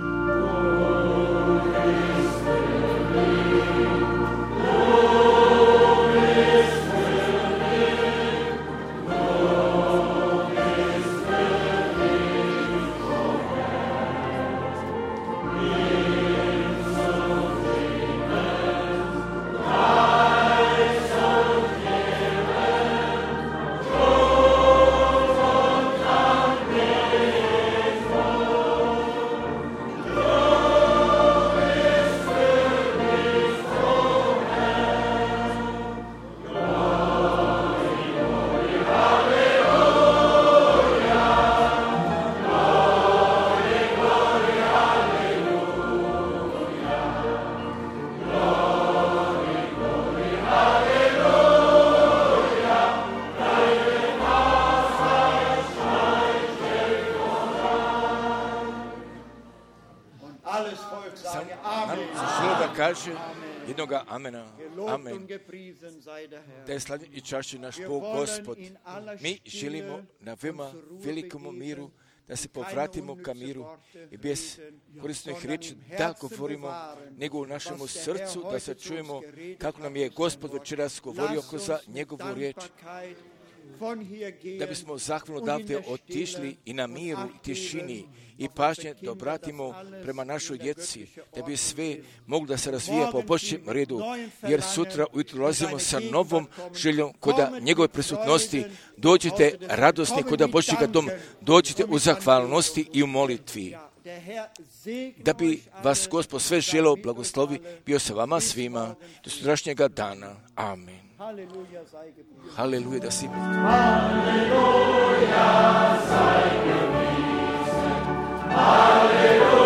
alles Volk Sam sage nam Amen. zaželio da kaže jednoga amena. Gelobt Amen. und gepriesen sei der Herr. Da je slavljen i čašćen naš Wir Bog, wollen Gospod. in aller Mi Stille želimo na uns veoma zur Ruhe velikomu begeben, miru, da se keine povratimo ka unnütze miru Worte i bez reden, korisnih sondern riječi im da Herzen govorimo, bewahren, nego u našemu was der srcu Herr da se heute zu čujemo uns geredet kako nam hat je durch Gospod sein Wort. večeras govorio Lasst kroz uns mit njegovu riječ, Dankbarkeit von hier gehen da bismo zahvalno und in odavde der otišli Stille i na und miru Acht i tišini geben i auf pažnje unsere da Kinder, obratimo dass alles prema in našoj der djeci, göttliche da bi Ordnung sve ist. moglo da se razvija po Morgen Božjem sind wir redu, mit neuen jer Verlangen sutra ujutro dolazimo in sa seine novom Gegenwart kommen. željom koda Kommen njegove mit prisutnosti, Freuden dođite im Hause des Herrn. radosni Kommen koda mit Božjega dom, Danken dođite und u mit zahvalnosti i u molitvi. Ja, der Herr segne Da bi euch vas alle, Gospod sve sei želeo mit blagoslovi, euch alle. bio sa vama Bis svima morgen. do sutrašnjega dana. Amen. Halleluja sei gepriesen. Haleluja da si Halleluja sei gepriesen. Halleluja.